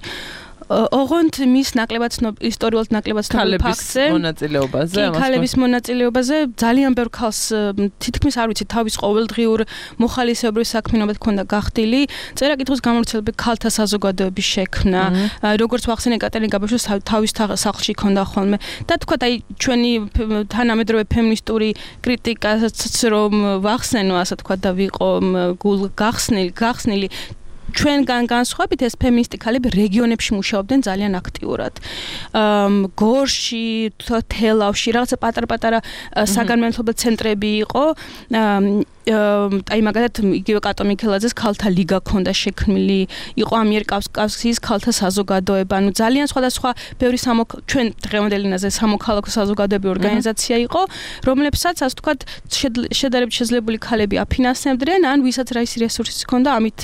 Speaker 8: ოღონდ მის ნაკლებად ისტორიულად ნაკლებად ცნობილ ფაქტზე
Speaker 2: მონაწილეობაზე
Speaker 8: კი ქალების მონაწილეობაზე ძალიან ბევრ ქალს თითქმის არ ვიცი თავის ყოველდღიურ მოხალისეობრივ საქმიანობად ქონდა გახდილი წერაკითხვის გამავრცელებელი ქალთა საზოგადოების შექმნა როგორც ვახსენე კატერინე გაბაშვილს თავის სახლში ქონდა ხოლმე და თქვა აი ჩვენი თანამედროვე ფემინისტური კრიტიკაც რომ ვახსენო ასე თქვა და ვიყო გულ გახსნილი გახსნილი ჩვენგან განსხვავებით ეს ფემინისტი ქალები რეგიონებში მუშაობდნენ ძალიან აქტიურად. გორში, თელავში, რაღაცა პატარ-პატარა საგანმანათლებლო ცენტრები იყო. აი მაგალითად იგივე კატო მიქელაძეს ქალთა ლიგა ქონდა შექმნილი, იყო ამიერკავკასიის ქალთა საზოგადოება, ანუ ძალიან სხვადასხვა ბევრი ჩვენ დღევანდელი ენაზე სამოქალაქო საზოგადოებრივი ორგანიზაცია იყო, რომლებსაც ასე ვთქვათ შედარებით შეძლებული ქალები აფინანსებდნენ, ან ვისაც რა ის რესურსი ჰქონდა, ამით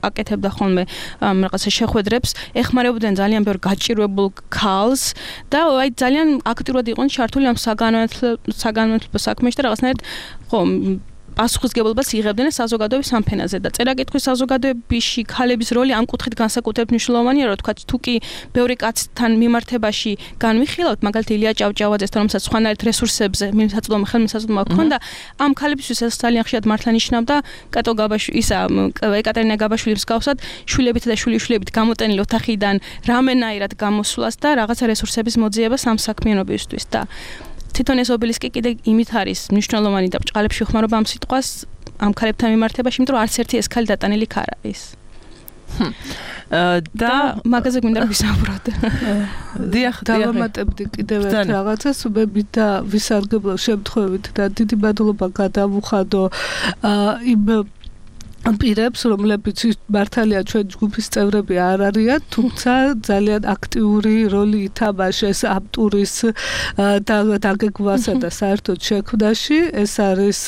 Speaker 8: აკეთებდა ხოლმე რაღაცა შეხვედრებს, ეხმარებოდნენ ძალიან ბევრ გაჭირვებულ ქალს და აი ძალიან აქტიურად იყვნენ ჩართული ამ საგანმანათლებლო საქმეში და რაღაცნაირად ხო პასუხისგებლობას იღებდნენ საზოგადოების ამ ფენაზე და წერაკითხვის საზოგადოებაში ქალების როლი ამ კუთხით განსაკუთრებით მნიშვნელოვანია, რომ თქვა თუ კი ბევრი კაცთან მიმართებაში განვიხილავთ, მაგალითად ილია ჭავჭავაძესთან, რომელსაც სხვანაირად რესურსებზე მიმსაწვდომი ხელმისაწვდომა ჰქონდა, ამ ქალებისთვის ეს ძალიან ხშირად მართლა ნიშნავდა კატო გაბაშვილი, ისა ეკატერინე გაბაშვილის მსგავსად შვილებით და შვილიშვილებით გამოტენილი ოთახიდან რამენაირად გამოსვლას და რაღაცა რესურსების მოძიებას ამ საქმიანობისთვის და თვითონ ეს ობელისკი კიდე იმით არის მნიშვნელოვანი და ბჭყალებში ხმარობა ამ სიტყვას ამ ქალებთან მიმართებაში, იმიტომ რომ არც ერთი ეს ქალი დატანილი ქარ არის. და მაგაზე გვინდა რომ ვისაუბროთ.
Speaker 2: დიახ,
Speaker 9: დავამატებდი კიდევ ერთ რაღაცას, უბებით და ვისარგებლო შემთხვევით და დიდი მადლობა გადავუხადო იმ პირებს, რომლებიც მართალია ჩვენ ჯგუფის წევრები არ არიან, თუმცა ძალიან აქტიური როლი ითამაშეს ამ ტურის დაგეგმვასა და საერთოდ შექმნაში. ეს არის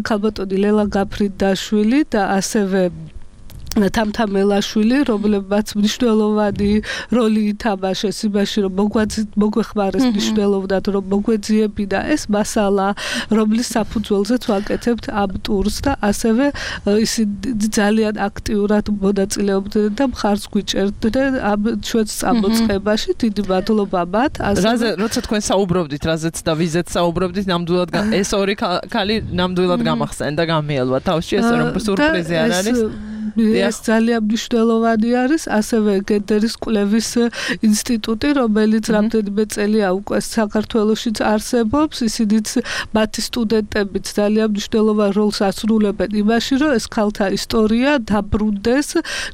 Speaker 9: ქალბატონი ლელა გაფრინდაშვილი და ასევე თამთა მელაშვილი, რომლებმაც მნიშვნელოვანი როლი ითამაშეს იმაში, რომ მოგვეხმარეს მნიშვნელოვნად, რომ მოგვეძიებინა ეს მასალა, რომლის საფუძველზეც ვაკეთებთ ამ ტურს და ასევე ისინი ძალიან აქტიურად მონაწილეობდნენ და მხარს გვიჭერდნენ ამ ჩვენს წამოწყებაში. დიდი მადლობა მათ.
Speaker 2: რაზე, როცა თქვენ საუბრობდით, რაზეც და ვიზეც საუბრობდით, ნამდვილად ეს ორი ქალი ნამდვილად გამახსენდა და გამიელვა თავში, ესე რომ სურპრიზი არ არის.
Speaker 9: ეს ძალიან მნიშვნელოვანი არის, ასევე გენდერის კვლევის ინსტიტუტი, რომელიც რამდენიმე წელია უკვე საქართველოშიც არსებობს, ისინიც მათი სტუდენტებიც ძალიან მნიშვნელოვან როლს ასრულებენ იმაში, რომ ეს ქალთა ისტორია დაბრუნდეს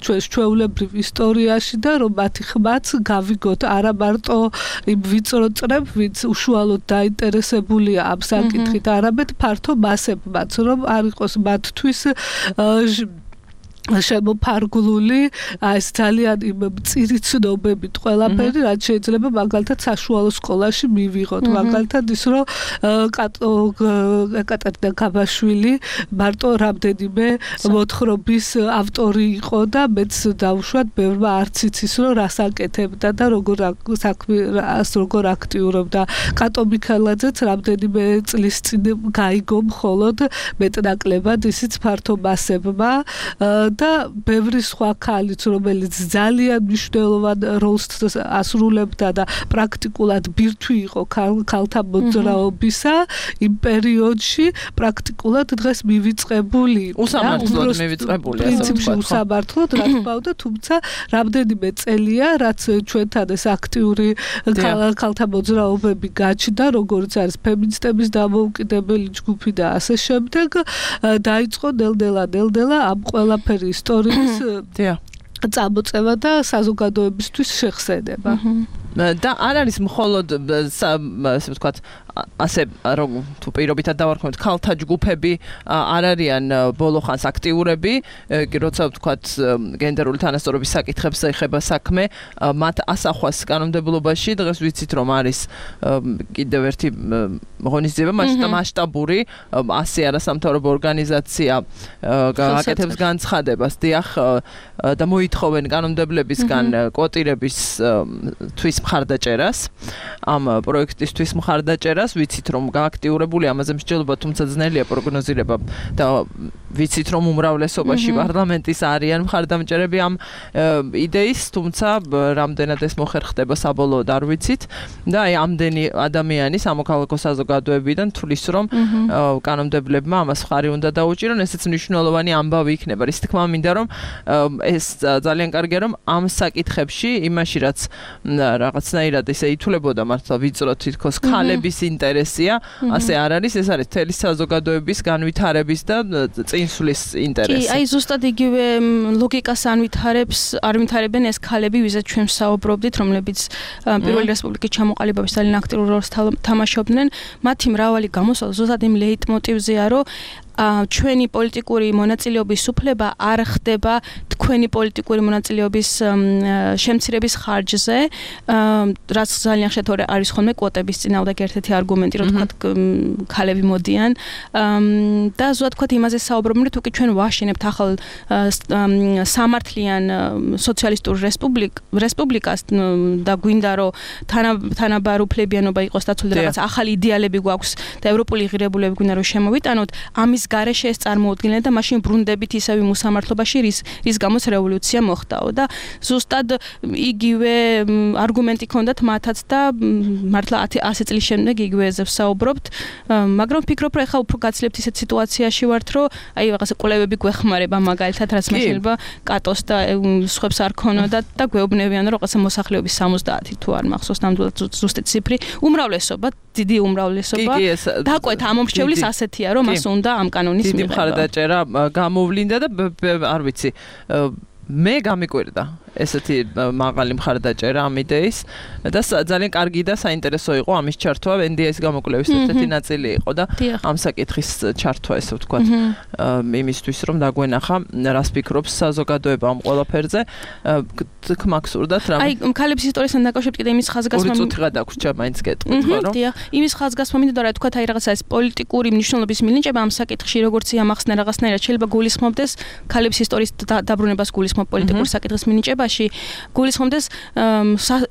Speaker 9: ჩვენს ჩვეულებრივ ისტორიაში და რომ მათი ხმაც გავიგოთ არა მარტო იმ ვიწრო წრებ, ვინც უშუალოდ დაინტერესებულია ამ საკითხით, არამედ ფართო მასებმაც, რომ არ იყოს მათთვის შემოფარგლული ეს ძალიან იმ მწირი ცნობებით ყველაფერი, რაც შეიძლება მაგალითად საშუალო სკოლაში მივიღოთ. მაგალითად ის რომ ეკატერინე გაბაშვილი მარტო რამდენიმე მოთხრობის ავტორი იყო და მეც დავუშვათ ბევრმა არც იცის რომ რას აკეთებდა და როგორ საქმე როგორ აქტიურობდა. კატო მიქელაძეც რამდენიმე წლის წინ გაიგო მხოლოდ მეტნაკლებად ისიც ფართო მასებმა და ბევრი სხვა ქალიც, რომელიც ძალიან მნიშვნელოვან როლს ასრულებდა და პრაქტიკულად ბირთვი იყო ქალთა მოძრაობისა, იმ პერიოდში პრაქტიკულად დღეს მივიწყებული.
Speaker 2: უსამართლოდ მივიწყებული, ასე ვთქვათ.
Speaker 9: პრინციპში უსამართლოდ, რა თქმა უნდა, თუმცა რამდენიმე წელია, რაც ჩვენთან ეს აქტიური ქალთა მოძრაობები გაჩნდა, როგორც არის ფემინისტების დამოუკიდებელი ჯგუფი და ასე შემდეგ, დაიწყო ნელ-ნელა, ნელ-ნელა ამ ყველაფერი ისტორიის წამოწევა და საზოგადოებისთვის შეხსენება.
Speaker 2: და არ არის მხოლოდ ასე ვთქვათ ასე რომ თუ პირობითად დავარქმევთ ქალთა ჯგუფები არ არიან ბოლო ხანს აქტიურები კი როცა ვთქვათ გენდერული თანასწორობის საკითხებს ეხება საქმე მათ ასახვას კანონმდებლობაში დღეს ვიცით რომ არის კიდევ ერთი ღონისძიება მასშტაბური ასი არასამთავრობო ორგანიზაცია აკეთებს განცხადებას დიახ და მოითხოვენ კანონმდებლებისგან კვოტირების თვის მხარდაჭერას ამ პროექტისთვის მხარდაჭერას ვიცით რომ გააქტიურებული ამაზე მსჯელობა თუმცა ძნელია პროგნოზირება და ვიცით რომ უმრავლესობაში პარლამენტის არიან მხარდამჭერები ამ იდეის თუმცა რამდენად ეს მოხერხდება საბოლოოდ არ ვიცით და აი ამდენი ადამიანი სამოქალაქო საზოგადოებიდან თulis რომ კანონმდებლებმა ამას მხარი უნდა დაუჭირონ ესეც მნიშვნელოვანი ამბავი იქნება რის თქმა მინდა რომ ეს ძალიან კარგია რომ ამ საკითხებში იმაში რაც რაღაცნაირად ესე ითვლებოდა მართლა ვიწრო თითქოს ქალების ინტერესია ასე არ არის ეს არის თელი საზოგადოების განვითარების და წინსვლის ინტერესი.
Speaker 8: კი, აი ზუსტად იგივე ლოგიკას ანვითარებს, არ ვითარებენ ეს ქალები, ვიზაც ჩვენ საუბრობდით, რომლებიც პირველი რესპუბლიკის ჩამოყალიბების ძალიან აქტიურ როლს თამაშობდნენ. მათი მრავალი გამოსვლა ზუსტად იმ ლეიტმოტივზეა, რომ ჩვენი პოლიტიკური მონაწილეობის უფლება არ ხდება თქვენი პოლიტიკური მონაწილეობის შემცირების ხარჯზე, რაც ძალიან ხშირად არის ხოლმე კვოტების წინააღმდეგ ერთ-ერთი არგუმენტი, რომ თქვა ქალები მოდიან და ზუსტად თქვა იმაზე საუბრობენ, რომ თუ კი ჩვენ ვაშენებთ ახალ სამართლიან სოციალისტურ რესპუბლიკას და გვინდა რომ თანაბარუფლებიანობა იყოს დაცული და რაღაც ახალი იდეალები გვაქვს და ევროპული ღირებულები გვინდა რომ შემოვიტანოთ, ამის გარეშე ეს წარმოუდგენელი და მაშინ ბრუნდებით ისევ მოსამართლობაში რის რის გამოც რევოლუცია მოხდაო და ზუსტად იგივე არგუმენტი ქონდათ მათაც და მართლა ასი წლის შემდეგ იგივეზე ვსაუბრობთ მაგრამ ვფიქრობ რომ ეხლა უფრო გაცლებთ ისეთ სიტუაციაში ვართ რომ აი რაღაცა კვლევები გვეხმარება მაგალითად რაც შეიძლება კატოს და სხვებს არ ქონოდა და გვეუბნებიან რომ რაღაცა მოსახლეობის სამოცდაათი თუ არ მახსოვს ნამდვილად ზუსტი ციფრი უმრავლესობა დიდი უმრავლესობა დაკვეთ ამომრჩევლის ასეთია რომ მას უნდა ამ კანონის
Speaker 2: მიღება. დიდი მხარდაჭერა გამოვლინდა და არ ვიცი მე გამიკვირდა ესეთი მაღალი მხარდაჭერა ამ იდეის და ძალიან კარგი და საინტერესო იყო ამის ჩართვა ენ დი ეს გამოკვლევის ერთ-ერთი ნაწილი იყო და ამ საკითხის ჩართვა ესე ვთქვათ იმისთვის რომ დაგვენახა რას ფიქრობს საზოგადოება ამ ყველაფერზე გმაგსურდათ რა
Speaker 8: აი ქალების ისტორიასთან დაკავშირებით კიდე იმის ხაზგასმა
Speaker 2: ორი წუთი გადაგვრჩა მაინც გეტყვით ხო რომ
Speaker 8: დიახ იმის ხაზგასმა მინდოდა რა თქვა აი რაღაცა ეს პოლიტიკური მნიშვნელობის მინიჭება ამ საკითხში როგორც იამახსნა რაღაცნაირად შეიძლება გულისხმობდეს ქალების ისტორიის დაბრუნებას გულისხმობ პოლიტიკური საკითხის მინიჭება შემთხვევაში გულისხმობდეს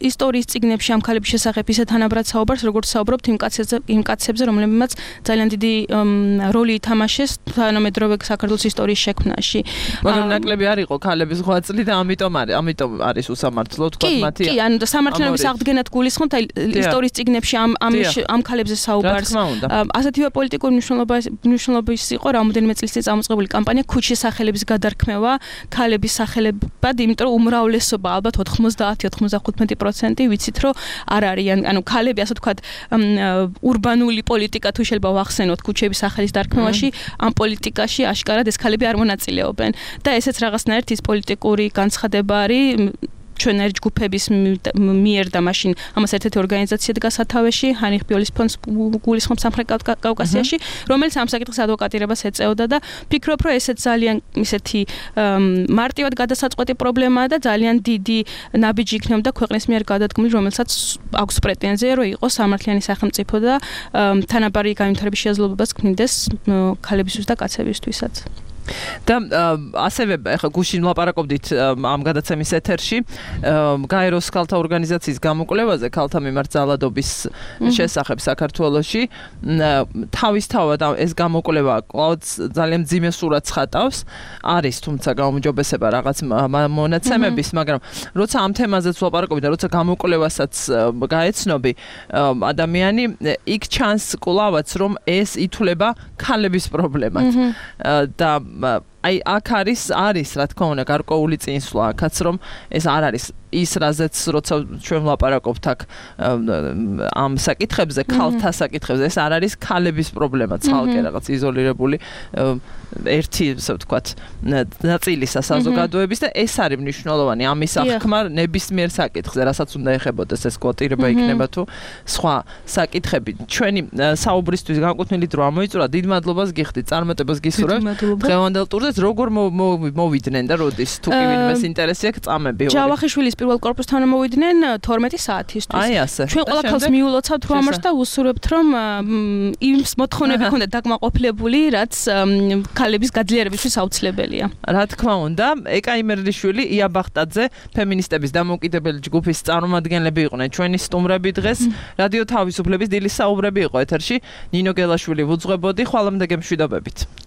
Speaker 8: ისტორიის წიგნებში ამ ქალების შესახებ ისე თანაბრად საუბარს, როგორც საუბრობთ იმ კაცებზე, იმ კაცებზე, რომლებმაც ძალიან დიდი როლი ითამაშეს თანამედროვე საქართველოს ისტორიის შექმნაში.
Speaker 2: მაგრამ ნაკლები არ იყო ქალების ღვაწლი და ამიტომ არის, ამიტომ არის უსამართლო თქვა მათი.
Speaker 8: კი, კი, ანუ სამართლიანობის აღდგენად გულისხმობთ ისტორიის წიგნებში ამ ამ ქალებზე საუბარს. ასეთივე პოლიტიკური მნიშვნელობა მნიშვნელობის იყო რამოდენიმე წლის წინ წამოწყებული კამპანია ქუჩის სახელების გადარქმევა, ქალების სახელებად, იმიტომ რომ უმრავლესობა ალბათ ოთხმოცდაათი ოცდათხუთმეტი პროცენტი ვიცით რომ არ არიან, ანუ ქალები ასე ვთქვათ ურბანული პოლიტიკა თუ შეიძლება ვახსენოთ ქუჩების სახელის დარქმევაში, ამ პოლიტიკაში აშკარად ეს ქალები არ მონაწილეობენ და ესეც რაღაცნაირად ის პოლიტიკური განცხადება არის ჩვენერ ჯგუფების მიერ და მაშინ ამას ერთ-ერთი ორგანიზაცია დგა სათავეში, ჰაინრიხ ბიოლის ფონდს გულისხმობს სამხრეთ კავკასიაში, რომელიც ამ საკითხის ადვოკატირებას ეწეოდა და ფიქრობ, რომ ესეც ძალიან ისეთი მარტივად გადასაწყვეტი პრობლემაა და ძალიან დიდი ნაბიჯი იქნებოდა ქვეყნის მიერ გადადგმული, რომელსაც აქვს პრეტენზია, რომ იყოს სამართლიანი სახელმწიფო და თანაბარი განვითარების შესაძლებლობას ქმნიდეს ქალებისთვის და კაცებისთვისაც.
Speaker 2: და ასევე ახლა გუშინ ვლაპარაკობდით ამ გადაცემის ეთერში გაეროს ქალთა ორგანიზაციის გამოკვლევაზე ქალთა მიმართ ძალადობის შესახებ საქართველოში. თავისთავად ეს გამოკვლევა კვლავ ძალიან მძიმე სურათს ხატავს. არის თუმცა გაუმჯობესება რაღაც მონაცემების, მაგრამ როცა ამ თემაზეც ვლაპარაკობთ და როცა გამოკვლევასაც გაეცნობი, ადამიანი იქ ჩანს კვლავაც რომ ეს ითვლება ქალების პრობლემად. და აი აქ არის არის რა თქმა უნდა გარკვეული წინსვლა აქაც რომ ეს არ არის ის რაზეც როცა ჩვენ ვლაპარაკობთ აქ ამ საკითხებზე, ქალთა საკითხებზე, ეს არ არის ქალების პრობლემა, ცალკე რაღაც იზოლირებული ერთი, ასე ვთქვათ, ნაწილისა საზოგადოების და ეს არის მნიშვნელოვანი ამის აღქმა ნებისმიერ საკითხზე, რასაც უნდა ეხებოდეს ეს კვოტირება იქნება თუ სხვა საკითხები. ჩვენი საუბრისთვის განკუთვნილი დრო ამოიწურა, დიდ მადლობას გიხდით, წარმატებას გისურვებთ დღევანდელ ტურზე, როგორ მოვიდნენ და როდის თუ კი ვინმეს ინტერესი აქვს წამები.
Speaker 8: ჯავახიშვილის პირველ კორპუსთან მოვიდნენ თორმეტი საათისთვის.
Speaker 2: აი ასე.
Speaker 8: ჩვენ ყველა ქალს მიულოცავთ რომ ამას და ვუსურვებთ რომ იმ მოთხოვნები ქონდეთ დაკმაყოფილებული, რაც ქალების გაძლიერებისთვის აუცილებელია.
Speaker 2: რა თქმა უნდა, ეკა იმერლიშვილი, ია ბახტაძე, ფემინისტების დამოუკიდებელი ჯგუფის წარმომადგენლები იყვნენ ჩვენი სტუმრები დღეს. რადიო თავისუფლების დილის საუბრები იყო ეთერში. ნინო გელაშვილი ვუძღვებოდი, ხვალამდე გემშვიდობებით.